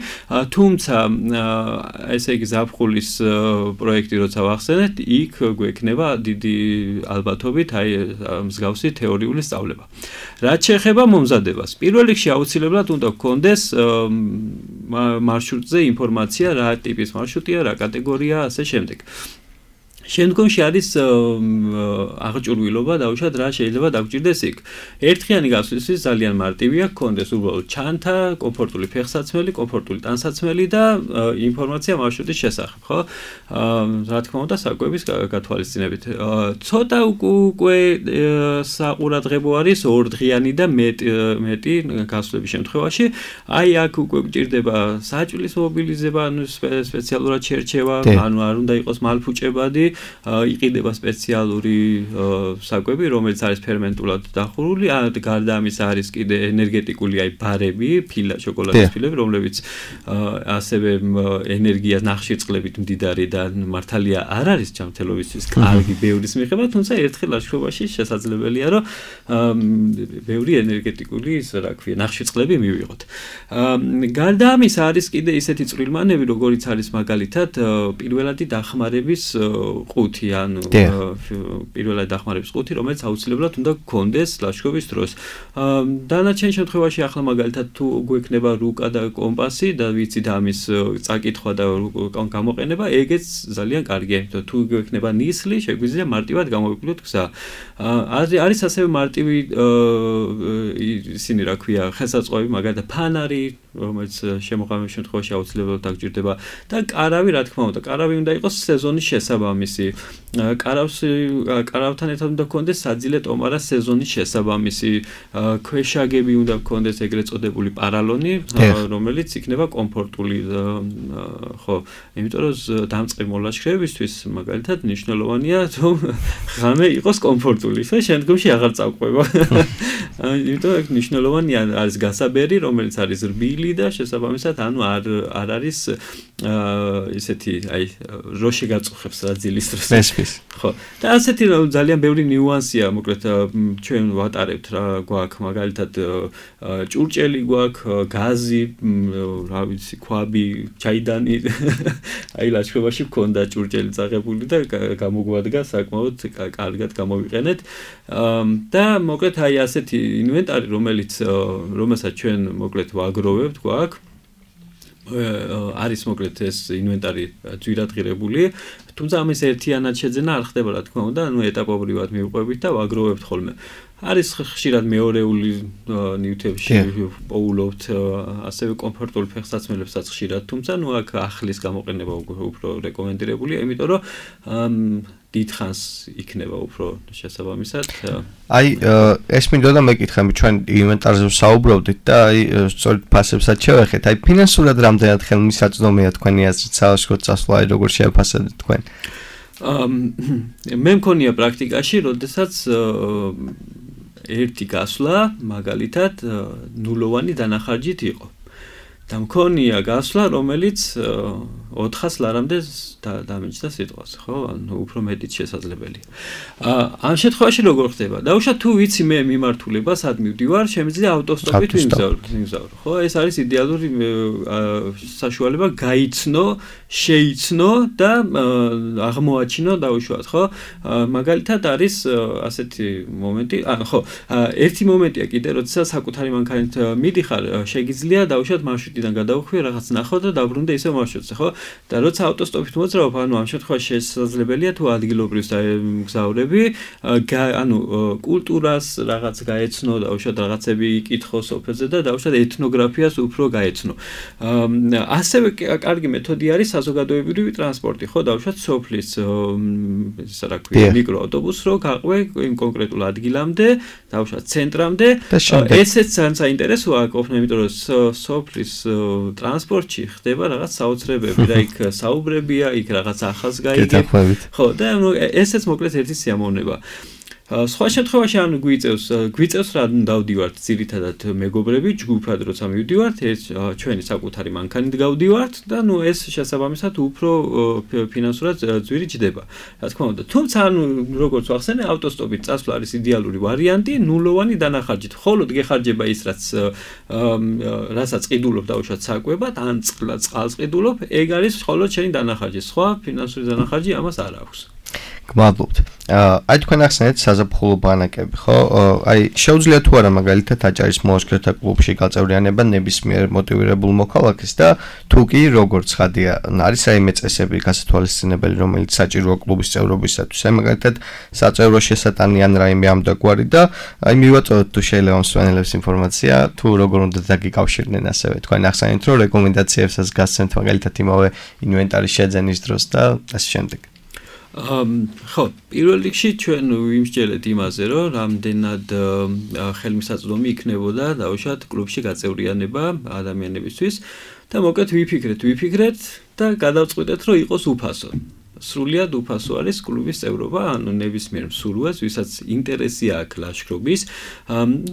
თუმცა ესე იგი ზაფხულის პროექტი როცა ვახსენეთ, იქ გვექნება დიდი ალბათობით აი მსგავსი თეორიული სწავლება. რაც შეეხება მომზადებას, პირველ რიგში აუცილებლად უნდა გქონდეს მარშრუტზე ინფორმაცია, რა ტიპის მარშრუტია, რა კატეგორია, ასე შემდეგ. შემდგომში არის აღჭურვილობა დაუშვათ რა შეიძლება დაგჭირდეს იქ. ერთხიანი გასვლისთვის ძალიან მარტივია, გქონდეს უბრალოდ ჩანთა, კომფორტული ფეხსაცმელი, კომფორტული ტანსაცმელი და ინფორმაცია მარშრუტის შესახებ, ხო? რა თქმა უნდა, საკვების გათვალისწინებით. ცოტა უკვე საყურადღებო არის ორდღიანი და მეტი გასვლების შემთხვევაში. აი აქ უკვე გჭირდება საჭვლის მობილიზება, ანუ სპეციალურად შერჩევა, ანუ არ უნდა იყოს მალფუჭებადი. იყიდება სპეციალური საკვები, რომელიც არის ფერმენტულად დახურული, გარდა ამისა არის კიდე ენერგეტიკული აი ბარები, ფილა, შოკოლადის ფილები, რომლებიც ასევე ენერგიას ნახშირწყლებით მდიდარი და მართალია არ არის ჯანმრთელობისთვის კარგი ბევრის მიხედვით, თუმცა ერთხელ ლაშქრობაში შესაძლებელია, რომ ბევრი ენერგეტიკული, რა ქვია, ნახშირწყლები მივიღოთ. გარდა ამისა არის კიდე ისეთი წვრილმანები, როგორიც არის მაგალითად პირველადი დახმარების ყუთი, ანუ პირველად დახმარების ყუთი, რომელიც აუცილებლად უნდა გქონდეს ლაშქრობის დროს. დანარჩენ შემთხვევაში ახლა მაგალითად თუ გვექნება რუკა და კომპასი და ვიცით ამის წაკითხვა და გამოყენება, ეგეც ძალიან კარგია, იმიტომ თუ გვექნება ნისლი, შეგვიძლია მარტივად გამოვიკვლიოთ გზა. არის ასევე მარტივი ისინი, რა ქვია, ხელსაწყოები, მაგალითად ფანარი, რომელიც შემოყალიბების შემთხვევაში აუცილებლად დაგჭირდება და კარავი, რა თქმა უნდა, კარავი უნდა იყოს სეზონის შესაბამისი. კარავს კარავთან ერთად უნდა გქონდეს საძილე ტომარა სეზონის შესაბამისი. ქვეშაგები უნდა გქონდეს ეგრეთ წოდებული პარალონი, რომელიც იქნება კომფორტული, ხო, იმიტომ რომ დამწყებ მოლაშქრებისთვის მაგალითად მნიშვნელოვანია, რომ ღამე იყოს კომფორტული და შემდგომში აღარ წავყვება. იმიტომ რომ მნიშვნელოვანია არის გასაბერი, რომელიც არის რბილი და შესაბამისად, ანუ არ არ არის ისეთი, აი, რო შეგაწუხებს რაძილის დროს. ხო. და ასეთი ძალიან ბევრი ნიუანსია, მოკლედ ჩვენ ვატარებთ რა გვაქვს, მაგალითად ჭურჭელი გვაქვს, გაზი, რა ვიცი, ქვაბი, ჩაიდანი. აი ლაშქრობაში მქონდა ჭურჭელი წაღებული და გამოგვადგა საკმაოდ კარგად გამოვიყენეთ. და მოკლედ აი ასეთი ინვენტარი, რომელიც რომელსაც ჩვენ მოკლედ ვაგროვებთ, გვაქვს არის მოკლედ ეს ინვენტარი ძვირადღირებული, თუმცა ამის ერთიანად შეძენა არ ხდება, რა თქმა უნდა, ანუ ეტაპობრივად მივყვებით და ვაგროვებთ ხოლმე. არის ხშირად მეორეული ნივთებში პოულობთ, ასევე კომფორტული ფეხსაცმელებსაც ხშირად, თუმცა ნუ აქ ახლის გამოყენება უფრო რეკომენდირებულია, იმიტომ რომ დიდხანს იქნება უფრო შესაბამისად. აი, ეს მინდოდა მეკითხები, ჩვენ ინვენტარზე ვსაუბრობდით და აი, სწორედ ფასებსაც შევეხეთ. აი, ფინანსურად რამდენად ხელმისაწვდომია თქვენი აზრით საავადმყოფო წასვლა, აი, როგორ შეაფასებთ თქვენ? მე მქონია პრაქტიკაში, როდესაც ერთი გასვლა მაგალითად ნულოვანი დანახარჯით იყო. და მქონია გასვლა, რომელიც ოთხას ლარამდე დამეჭდა სიტყვას, ხო? ანუ უფრო მეტიც შესაძლებელია. ამ შემთხვევაში როგორ ხდება? დაუშვათ თუ ვიცი მე მიმართულება, სად მივდივარ, შემიძლია ავტოსტოპით ვიმგზავრო, ხო? ეს არის იდეალური საშუალება გაიცნო, შეიცნო და აღმოაჩინო დაუშვათ, ხო? მაგალითად არის ასეთი მომენტი, ხო, ერთი მომენტია კიდე, როდესაც საკუთარი მანქანით მიდიხარ, შეგიძლია დაუშვათ მარშრუტიდან გადავხვიე, რაღაც ნახო და დაბრუნდე ისევ მარშრუტზე, ხო? და როცა ავტოსტოპით მოძრაობ, ანუ ამ შემთხვევაში შესაძლებელია თუ ადგილობრივს მგზავრები, ანუ კულტურას რაღაც გაეცნო, დაუშვათ რაღაცები იკითხო სოფელზე და დაუშვათ ეთნოგრაფიას უფრო გაეცნო. ასევე კარგი მეთოდი არის საზოგადოებრივი ტრანსპორტი, ხო, დაუშვათ სოფლის ისა რა ქვია, მიკროავტობუსს რო გაყვე იმ კონკრეტულ ადგილამდე, დაუშვათ ცენტრამდე. ესეც ძალიან საინტერესოა ყოფნა, იმიტომ რომ სოფლის ტრანსპორტში ხდება რაღაც საოცრებები და იქ საუბრებია, იქ რაღაც ახალს გაიგებ. ხო, და ესეც მოკლედ ერთი სიამოვნება. სხვა შემთხვევაში ანუ გვიწევს, გვიწევს რა დავდივართ ძირითადად მეგობრები, ჯგუფად როცა მივდივართ, ეს ჩვენი საკუთარი მანქანით გავდივართ და ნუ ეს შესაბამისად უფრო ფინანსურად ძვირი ჯდება. რა თქმა უნდა, თუმცა ანუ როგორც ვახსენე, ავტოსტოპით წასვლა არის იდეალური ვარიანტი, ნულოვანი დანახარჯით. მხოლოდ გეხარჯება ის, რაც რასაც ყიდულობ დაუშვათ საკვებად, ან წყალს ყიდულობ, ეგ არის მხოლოდ შენი დანახარჯი. სხვა ფინანსური დანახარჯი ამას არ აქვს. გმადლობთ. აი თქვენ ახსენეთ საზაფხულო ბანაკები, ხო? აი შეუძლია თუ არა მაგალითად აჭარის მოლაშქრეთა კლუბში გაწევრიანება ნებისმიერ მოტივირებულ მოქალაქეს და თუ კი როგორც ხადია არის რაიმე წესები გასათვალისწინებელი, რომელიც საჭიროა კლუბის წევრობისათვის. აი მაგალითად საწევრო შესატანი ან რაიმე ამდაგვარი და აი მივაწოდოთ თუ შეიძლება მსმენელებს ინფორმაცია თუ როგორ უნდა დაგიკავშირდნენ ასევე თქვენ ახსენეთ რომ რეკომენდაციებსაც გასცემთ მაგალითად იმავე ინვენტარის შეძენის დროს და ასე შემდეგ. ხო, პირველ რიგში ჩვენ ვიმსჯელეთ იმაზე, რომ რამდენად ხელმისაწვდომი იქნებოდა დაუშვათ კლუბში გაწევრიანება ადამიანებისთვის და მოკეთ ვიფიქრეთ, ვიფიქრეთ და გადავწყვიტეთ, რომ იყოს უფასო. სრულიად უფასო არის კლუბის წევრობა, ანუ ნებისმიერ მსურველს, ვისაც ინტერესი აქვს ლაშქრობის,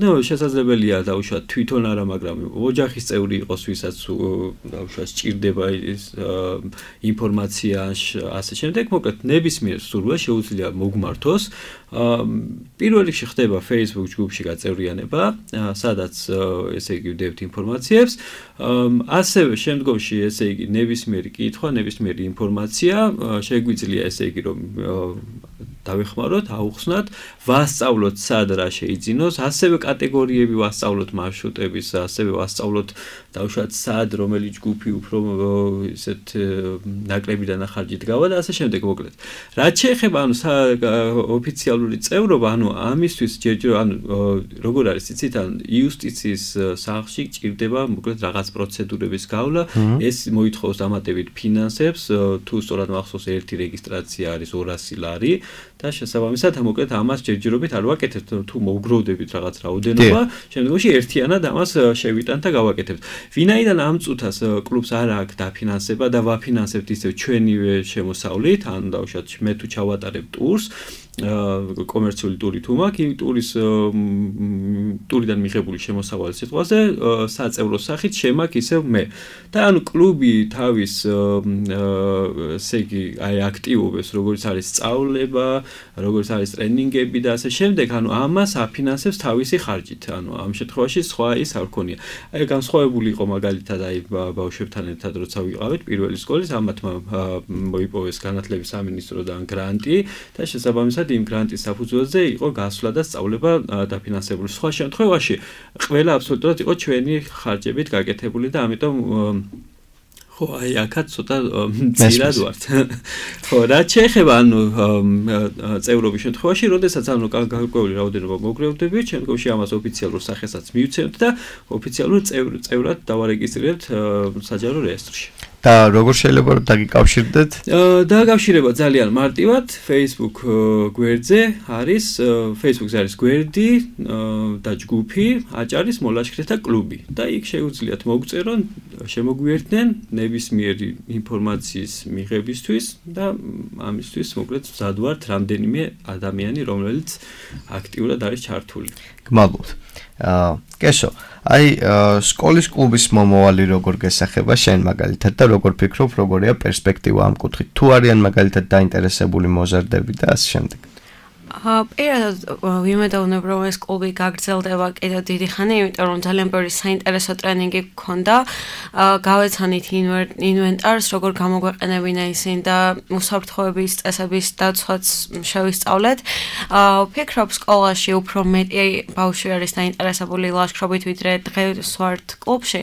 ნუ შესაძლებელია დაუშვათ თვითონ არა, მაგრამ ოჯახის წევრი იყოს, ვისაც დაუშვათ სჭირდება ის ინფორმაცია, ასე შემდეგ, მოკლედ ნებისმიერ მსურველს შეუძლია მოგმართოს. პირველ რიგში ხდება Facebook ჯგუფში გაწევრიანება, სადაც ესე იგი ვდებთ ინფორმაციებს, ასევე შემდგომში ესე იგი ნებისმიერი კითხვა, ნებისმიერი ინფორმაცია შეგვიძლია ესე იგი რომ დავეხმაროთ, აუხსნათ, ვასწავლოთ სად რა შეიძინოს, ასევე კატეგორიები ვასწავლოთ მარშრუტების, ასევე ვასწავლოთ დავუშვათ სად რომელი ჯგუფი უფრო ისეთ ნაკლები დანახარჯით გავა და ასე შემდეგ მოკლედ. რაც შეეხება ანუ ოფიციალური წევრობა, ანუ ამისთვის ჯერჯერ ანუ როგორ არის იცით, ან იუსტიციის სახლში გჭირდება მოკლედ რაღაც პროცედურების გავლა, ეს მოითხოვს დამატებით ფინანსებს, თუ სწორად მახსოვს ერთი რეგისტრაცია არის ორასი ლარი და შესაბამისად მოკლედ ამას ჯერჯერობით არ ვაკეთებთ, თუ მოგროვდებით რაღაც რაოდენობა, შემდგომში ერთიანად ამას შევიტანთ და გავაკეთებთ. ვინაიდან ამ წუთას კლუბს არ აქვს დაფინანსება და ვაფინანსებთ ისევ ჩვენივე შემოსავლით, ან დავუშვათ მე თუ ჩავატარებ ტურს, კომერციული ტური თუ მაქვს, იმ ტურის ტურიდან მიღებული შემოსავალი სიტყვაზე საწევრო სახით შემაქვს ისევ მე. და ანუ კლუბი თავის ესე იგი აი აქტივობებს, როგორც არის სწავლება, როგორც არის ტრენინგები და ასე შემდეგ, ანუ ამას აფინანსებს თავისი ხარჯით. ანუ ამ შემთხვევაში სხვა ის არ ქონია. აი განსხვავებული იყო მაგალითად აი ბავშვებთან ერთად როცა ვიყავით პირველი სკოლის, ამათმა მოიპოვეს განათლების სამინისტროდან გრანტი და შესაბამისად იმ გრანტის საფუძველზე იყო გასვლა და სწავლება დაფინანსებული. სხვა შემთხვევაში ყველა აბსოლუტურად იყო ჩვენი ხარჯებით გაკეთებული და ამიტომ ხო, აი აქაც ცოტა მცირად ვართ. ხო, რაც შეეხება ანუ წევრობის შემთხვევაში, როდესაც ანუ გარკვეული რაოდენობა მოგროვდებით, შემდგომში ამას ოფიციალურ სახესაც მივცემთ და ოფიციალურ წევრად დავარეგისტრირებთ საჯარო რეესტრში. და როგორ შეიძლება რომ დაგიკავშირდეთ? დაკავშირება ძალიან მარტივად, Facebook გვერდზე არის, Facebook-ზე არის გვერდი და ჯგუფი აჭარის მოლაშქრეთა კლუბი და იქ შეუძლიათ მოგწერონ, შემოგვიერთდნენ ნებისმიერი ინფორმაციის მიღებისთვის და ამისთვის მოკლედ მზად ვართ რამდენიმე ადამიანი, რომელიც აქტიურად არის ჩართული. გმადლობთ. აა კესო, აი სკოლის კლუბის მომავალი როგორ გესახება შენ მაგალითად და როგორ ფიქრობ, როგორია პერსპექტივა ამ კუთხით? თუ არიან მაგალითად დაინტერესებული მოზარდები და ასე შემდეგ. პირადად ვიმედოვნებ, რომ ეს კლუბი გაგრძელდება კიდევ დიდი ხანი, იმიტომ რომ ძალიან ბევრი საინტერესო ტრენინგი გქონდა. გავეცანით ინვენტარს, როგორ გამოგვეყენებინა ისინი და უსაფრთხოების წესების დაცვაც შევისწავლეთ. ვფიქრობ, სკოლაში უფრო მეტი ბავშვი არის დაინტერესებული ლაშქრობით, ვიდრე დღეს ვართ კლუბში.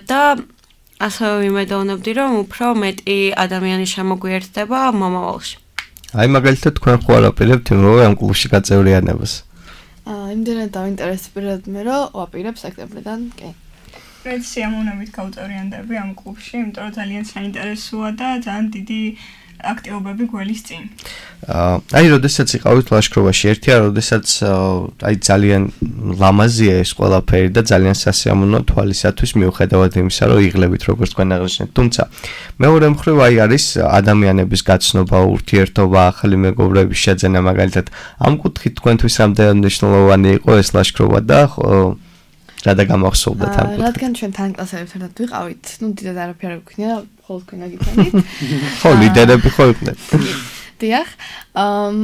და ასევე ვიმედოვნებდი, რომ უფრო მეტი ადამიანი შემოგვიერთდება მომავალში. აი მაგალითად თქვენ ხო არაპირებთ იმავე ამ კლუბში გაწევრიანებას? აა იმდენად დავინტერესებიათ მე რომ ვაპირებ სექტემბრიდან, კი. პრეთ სიამოვნებით გავწევრიანდები ამ კლუბში, იმიტომ რომ ძალიან საინტერესოა და ძალიან დიდი აქტივობები გველის წინ. აა აი როდესაც იყავით ლაშქრობაში, ერთია როდესაც აი ძალიან ლამაზია ეს ყველაფერი და ძალიან სასიამოვნო თვალისათვის მიუხედავად იმისა, რომ იღლებით როგორც თქვენ აღნიშნეთ. თუმცა მეორე მხრივ აი არის ადამიანების გაცნობა, ურთიერთობა, ახალი მეგობრების შეძენა მაგალითად. ამ კუთხით თქვენთვის რამდენად მნიშვნელოვანი იყო ეს ლაშქრობა და რა და გამახსოვდათ ამ კუთხით? რადგან ჩვენ თან კლასელებთან ერთად ვიყავით, ნუ დიდად არაფერი არ გვქნია, ხოლმე თქვენ აგიტანით. ხო, ლიდერები ხო იყვნენ. დიახ,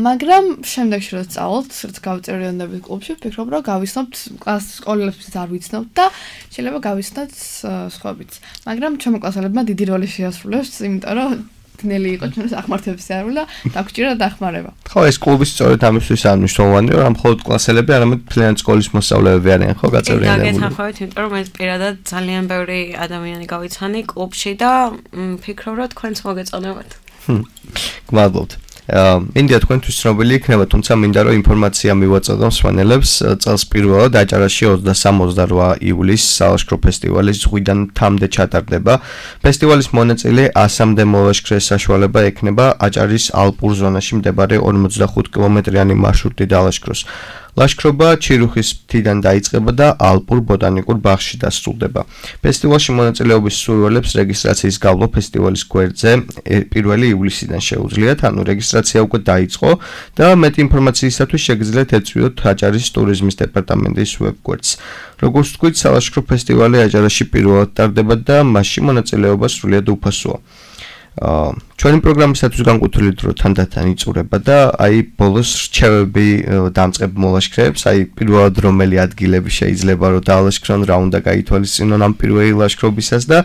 მაგრამ შემდეგში რომ სწავლობთ, რაც გავწევრიანდებით კლუბში, ვფიქრობ, რომ გავიცნობთ კლას სკოლებსაც არ ვიცნობთ და შეიძლება გავიცნოთ სხვაებიც. მაგრამ ჩემო კლასელებმა დიდი როლი შეასრულეს, იმიტომ რომ ნელი იყო ჩვენს ახმართების სიარული და დაგჭირა დახმარება. ხო, ეს კლუბი სწორედ ამისთვის ამნიშნულოვანია, რომ მხოლოდ კლასელები, არამედ მთლიანი სკოლის მოსწავლეები არიან, ხო, გაწევრიანებული. და გეთანხმებით, იმიტომ რომ ეს პირადად ძალიან ბევრი ადამიანი გავიცანი კლუბში და ვფიქრობ, რომ თქვენც მოგეწონებათ. გმადლობთ. მინდა თქვენთვის ცნობილი იქნება, თუმცა მინდა რომ ინფორმაცია მივაწოდო მსმენელებს. წელს პირველად აჭარაში ოცდასამი ოცდაოთხ ივლისს სალაშქრო ფესტივალის ზღვიდან თამდე ჩატარდება. ფესტივალის მონაწილე ასამდე მოლაშქრეს საშუალება ექნება აჭარის ალპურ ზონაში მდებარე ორმოცდახუთ კილომეტრიანი მარშრუტი დალაშქროს. ლაშქრობა ჩირუხის მთიდან დაიწყება და ალპურ ბოტანიკურ ბაღში დასრულდება. ფესტივალში მონაწილეობის სურვილებს რეგისტრაციის გავლა ფესტივალის გვერდზე პირველი ივლისიდან შეუძლიათ, ანუ რეგისტრაცია უკვე დაიწყო და მეტი ინფორმაციისათვის შეგიძლიათ ეწვიოთ აჭარის ტურიზმის დეპარტამენტის ვებგვერდს. როგორც ვთქვით, სალაშქრო ფესტივალი აჭარაში პირველად ტარდება და მასში მონაწილეობა სრულიად უფასოა. ჩვენი პროგრამისათვის განკუთვნილი დრო თანდათან იწურება და აი ბოლოს რჩევები დამწყებ მოლაშქრეებს, აი პირველად რომელი ადგილები შეიძლება რომ დაალაშქრონ, რა უნდა გაითვალისწინონ ამ პირველი ლაშქრობისას და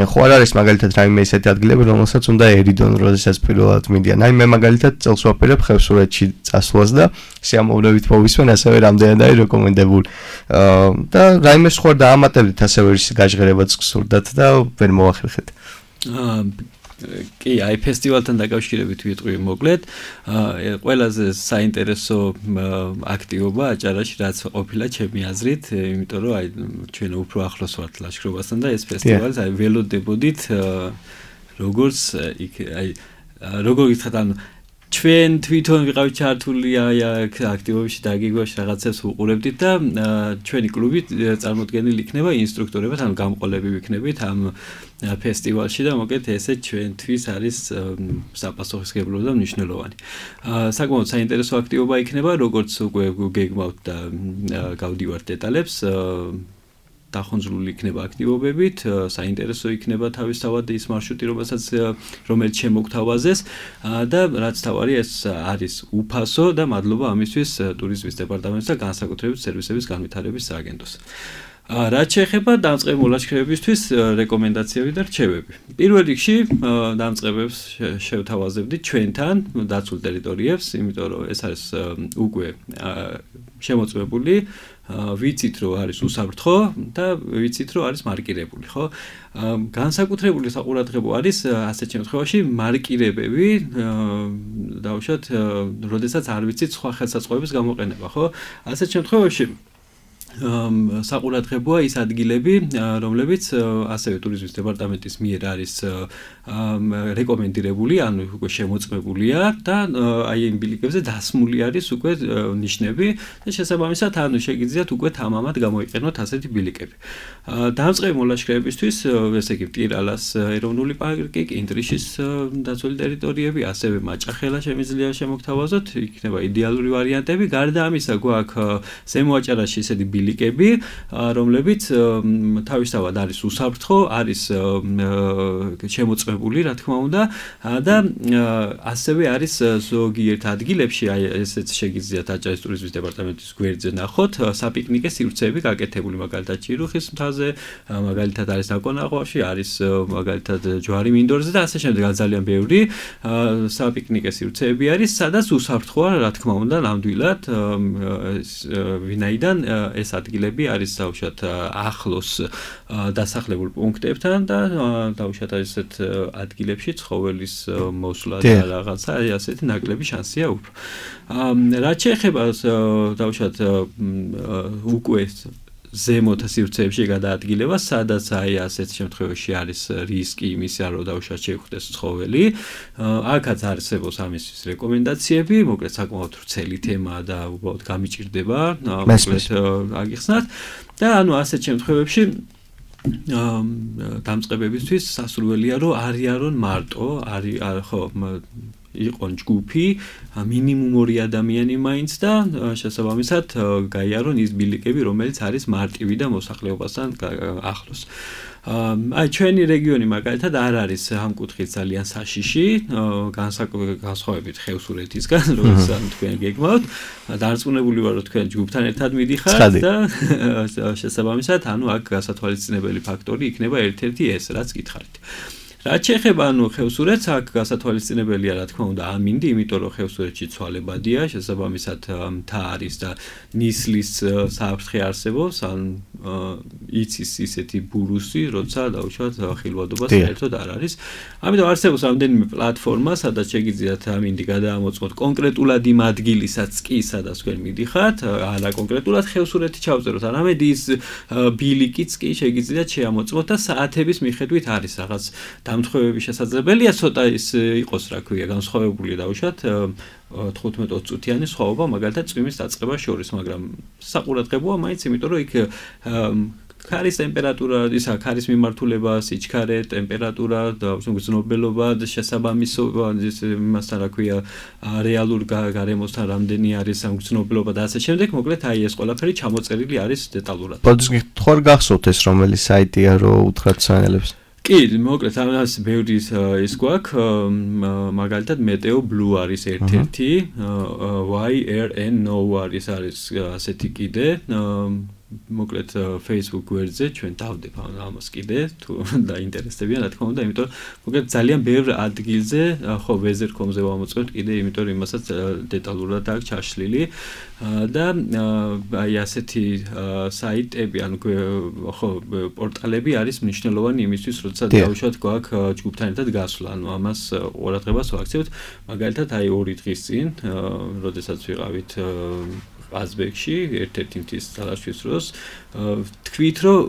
ხო არ არის მაგალითად რაიმე ისეთი ადგილები, რომელსაც უნდა ერიდონ, როდესაც პირველად მიდიან. აი მე მაგალითად წელს ვაპირებ ხევსურეთში წასვლას და სიამოვნებით მოვისმენ, ასევე რამდენად არის რეკომენდებული. და რაიმე სხვა დაამატებდით, ასევე ის გაჟღერებაც გსურდათ და ვერ მოახერხეთ. კი, აი ფესტივალთან დაკავშირებით ვიტყვი მოკლედ. ყველაზე საინტერესო აქტივობა აჭარაში რაც ყოფილა ჩემი აზრით, იმიტომ რომ აი ჩვენ უფრო ახლოს ვართ ლაშქრობასთან და ეს ფესტივალი აი ველოდებოდით როგორც აი როგორ გითხრათ ანუ ჩვენ თვითონ ვიყავით ჩართული აი აქტივობებში დაგიგვაში რაღაცებს უყურებდით და ჩვენი კლუბი წარმოდგენილი იქნება ინსტრუქტორებად, ანუ გამყოლები ვიქნებით ამ ფესტივალში და მოკეთ ესე ჩვენთვის არის საპასუხისმგებლო და მნიშვნელოვანი. საკმაოდ საინტერესო აქტივობა იქნება, როგორც უკვე გეგმავთ და გავდივართ დეტალებს. დახონძრული იქნება აქტივობებით, საინტერესო იქნება თავისთავად ის მარშრუტი, რომელსაც რომელიც შემოგთავაზეს და რაც თავარი ეს არის უფასო და მადლობა ამისთვის ტურიზმის დეპარტამენტს და განსაკუთრებით სერვისების განვითარების სააგენტოს. რაც შეეხება დამწყებ მოლაშქრეებისთვის რეკომენდაციები და რჩევები. პირველ რიგში დამწყებებს შევთავაზებდით ჩვენთან დაცულ ტერიტორიებს, იმიტომ რომ ეს არის უკვე შემოწმებული, ვიცით რომ არის უსაფრთხო და ვიცით რომ არის მარკირებული, ხო? განსაკუთრებული საყურადღებო არის ასეთ შემთხვევაში მარკირებები, დავუშვათ, როდესაც არ ვიცით სხვა ხელსაწყოების გამოყენება, ხო? ასეთ შემთხვევაში საყურადღებოა ის ადგილები, რომლებიც ასევე ტურიზმის დეპარტამენტის მიერ არის რეკომენდირებული, ანუ უკვე შემოწმებულია და აი იმ ბილიკებზე დასმული არის უკვე ნიშნები და შესაბამისად ანუ შეგიძლიათ უკვე თამამად გამოიყენოთ ასეთი ბილიკები. დამწყები მოლაშქრეებისთვის, ესე იგი მტირალას ეროვნული პარკი, კინტრიშის დაცული ტერიტორიები, ასევე მაჭახელა შემიძლია შემოგთავაზოთ, იქნება იდეალური ვარიანტები. გარდა ამისა, გვაქვს ზემო აჭარაში ისეთი ბილიკები, რომლებიც თავისთავად არის უსაფრთხო, არის შემოწმებული, რა თქმა უნდა, და ასევე არის ზოგიერთ ადგილებში, აი ესეც შეგიძლიათ აჭარის ტურიზმის დეპარტამენტის გვერდზე ნახოთ, საპიკნიკე სივრცეები გაკეთებული, მაგალითად ჩირუხის მთაზე, მაგალითად არის ნაკონაღვაში, არის მაგალითად ჯვარი მინდორზე და ასე შემდეგ, ძალიან ბევრი საპიკნიკე სივრცეები არის, სადაც უსაფრთხოა, რა თქმა უნდა, ნამდვილად, ვინაიდან ეს ადგილები არის დაუშვათ ახლოს დასახლებულ პუნქტებთან და დაუშვათ ასეთ ადგილებში ცხოველის მოსვლა და რაღაცა ასეთი ნაკლები შანსია უფრო. რაც შეეხება დაუშვათ უკვე ზემოთ სივრცეებში გადაადგილება, სადაც აი ასეთ შემთხვევაში არის რისკი იმისა, რომ დაუშვათ შეხვდეს ცხოველი. აქაც არსებობს ამისთვის რეკომენდაციები, მოკლედ საკმაოდ ვრცელი თემაა და უბრალოდ გამიჭირდება, მოკლედ აგიხსნათ და ანუ ასეთ შემთხვევებში დამწყებებისთვის სასურველია, რომ არიანონ მარტო, არის ხო იყონ ჯგუფი, მინიმუმ ორი ადამიანი მაინც და შესაბამისად გაიარონ ის ბილიკები, რომელიც არის მარტივი და მოსახლეობასთან ახლოს. აი ჩვენი რეგიონი მაგალითად არ არის ამ კუთხით ძალიან საშიში, განსხვავებით ხევსურეთისგან, როდესაც თქვენ გეგმავთ, დარწმუნებული ვარ, რომ თქვენ ჯგუფთან ერთად მიდიხართ და შესაბამისად, ანუ აქ გასათვალისწინებელი ფაქტორი იქნება ერთ-ერთი ეს, რაც გითხარით. რაც შეეხება ანუ ხევსურეთს, აქ გასათვალისწინებელია რა თქმა უნდა ამინდი, იმიტომ რომ ხევსურეთში ცვალებადია, შესაბამისად მთა არის და ნისლის საფრთხე არსებობს, ან იცის ისეთი ბურუსი, როცა დაუშვათ ხილვადობა საერთოდ არ არის. ამიტომ არსებობს რამდენიმე პლატფორმა, სადაც შეგიძლიათ ამინდი გადაამოწმოთ კონკრეტულად იმ ადგილისაც კი, სადაც თქვენ მიდიხართ, არა კონკრეტულად ხევსურეთი ჩავწეროთ, არამედ ის ბილიკიც კი შეგიძლიათ შეამოწმოთ და საათების მიხედვით არის რაღაც დამთხოვების შესაძლებელია, ცოტა ის იყოს, რა ქვია, განსხვავებული დაუშვათ თხუთმეტ ოცი წუთიანი სხვაობა, მაგალითად წვიმის დაწყებას შორის, მაგრამ საყურადღებოა მაინც, იმიტომ რომ იქ ქარის ტემპერატურა, ისა ქარის მიმართულება, სიჩქარე, ტემპერატურა და გრძნობელობა და შესაბამისობა იმასთან, რა ქვია, რეალურ გარემოსთან რამდენი არის გრძნობელობა და ასე შემდეგ, მოკლედ აი ეს ყველაფერი ჩამოწერილი არის დეტალურად. ბოდიშ გითხარ გახსოვთ ეს რომელი საიტია, რომ უთხრათ სანელებს? კი, მოკლედ ამას ბევრი ის გვაქვს, მაგალითად მეტეო ბლუ არის ერთ-ერთი, Y R N No არის არის ასეთი კიდე, მოკლედ Facebook გვერდზე ჩვენ დავდებ ამას კიდე, თუ დაინტერესდებიან, რა თქმა უნდა, იმიტომ რომ მოკლედ ძალიან ბევრ ადგილზე, ხო, weather dot com-ზე ვამოწმებთ კიდე, იმიტომ რომ იმასაც დეტალურად აქვს ჩაშლილი და აი ასეთი საიტები, ანუ ხო, პორტალები არის მნიშვნელოვანი იმისთვის, როცა დავუშვათ გვაქვს ჯგუფთან ერთად გასვლა, ანუ ამას ყურადღებას ვაქცევთ, მაგალითად აი ორი დღის წინ, როდესაც ვიყავით აზბეკში ერთ-ერთი მთის ძალაშვის დროს თქვით რომ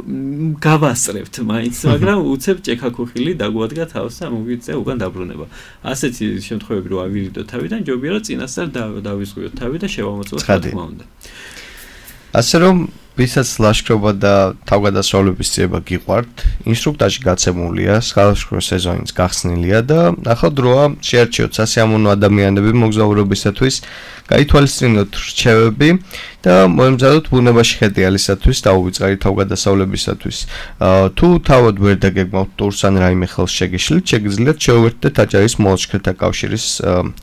გავასწრებთ მაინც, მაგრამ უცებ ჭექაქუხილი დაგვადგა თავს და მოგვიწია უკან დაბრუნება. ასეთი შემთხვევები რო ავირიდოთ თავიდან, ჯობია რომ წინასწარ დავისწროთ თავი და შევამოწმოთ რა თქმა უნდა. ასე რომ ვისაც ლაშქრობა და თავგადასავლების ძიება გიყვართ, ინსტრუქტაჟი გაცემულია, სხვადასხვა სეზონიც გახსნილია და ახლა დროა შეარჩიოთ სასიამოვნო ადამიანები მოგზაურობისათვის, გაითვალისწინოთ რჩევები და მოემზადოთ ბუნებაში ხედიალისათვის და უვიწყარი თავგადასავლებისათვის. თუ თავად ვერ დაგეგმავთ ტურს ან რაიმე ხელს შეგიშლით, შეგიძლიათ შეუერთდეთ აჭარის მოლაშქრეთა კავშირის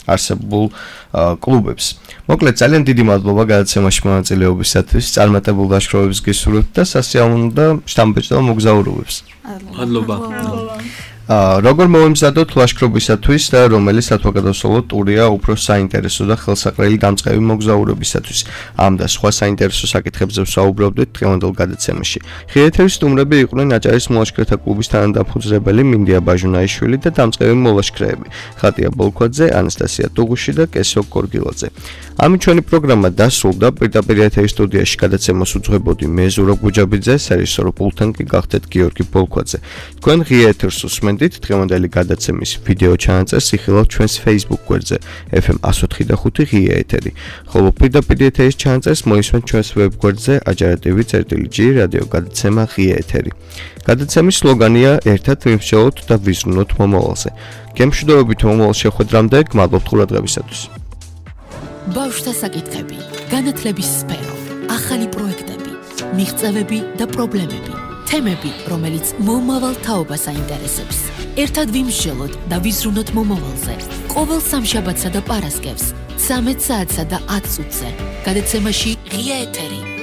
არსებულ კლუბებს. მოკლედ ძალიან დიდი მადლობა გადაცემაში მონაწილეობისათვის, წარმატებულ ლაშქრობებს გისურვებთ და სასიამოვნო და შთამბეჭდავ მოგზაურობებს. მადლობა. როგორ მოემზადოთ ლაშქრობისათვის და რომელი სათავგადასავლო ტურია უფრო საინტერესო და ხელსაყრელი დამწყები მოგზაურობისათვის? ამ და სხვა საინტერესო საკითხებზე ვსაუბრობდით დღევანდელ გადაცემაში. ღირითების სტუმრები იყვნენ აჭარის მოლაშქრეთა კლუბის თანადამფუძნებელი მინდია ბაჟუნაიშვილი და დამწყები მოლაშქრეები ხატია ბოლქვაძე, ანასტასია ტუღუში და კესო კორგილაძე. ამით ჩვენი პროგრამა დასრულდა. პირდაპირ ეთერის სტუდიაში გადაცემას უძღვებოდი მე ზურაბ გუჯაბიძე, სერვისორო პულტთან კი გახდეთ გიორგი ბოლქვაძე. თქვენ ღია ეთერს უსმენთ დღევანდელი გადაცემის ვიდეო ჩანაწერს იხილავთ ჩვენს Facebook გვერდზე F M one oh four point five ღია ეთერი. ხოლო პირდაპირ ეთერის ჩანაწერს მოისმენთ ჩვენს ვებ გვერდზე ajaratv.g რადიო გადაცემა ღია ეთერი. გადაცემის სლოგანია ერთად ვიმსჯელოთ და ვიზრუნოთ მომავალზე. გემშვიდობებით მომავალ შეხვედრამდე, გმადლობთ ყურადღებისათვის. ბავშვთა საკითხები, განათლების სფერო, ახალი პროექტები, მიღწევები და პრობლემები. თემები, რომელიც მომავალ თაობას აინტერესებს. ერთად ვიმსჯელოთ და ვიზრუნოთ მომავალზე. ყოველ სამშაბათსა და პარასკევს, ცამეტ საათსა და ათ წუთზე. გადაცემაში ღია ეთერი.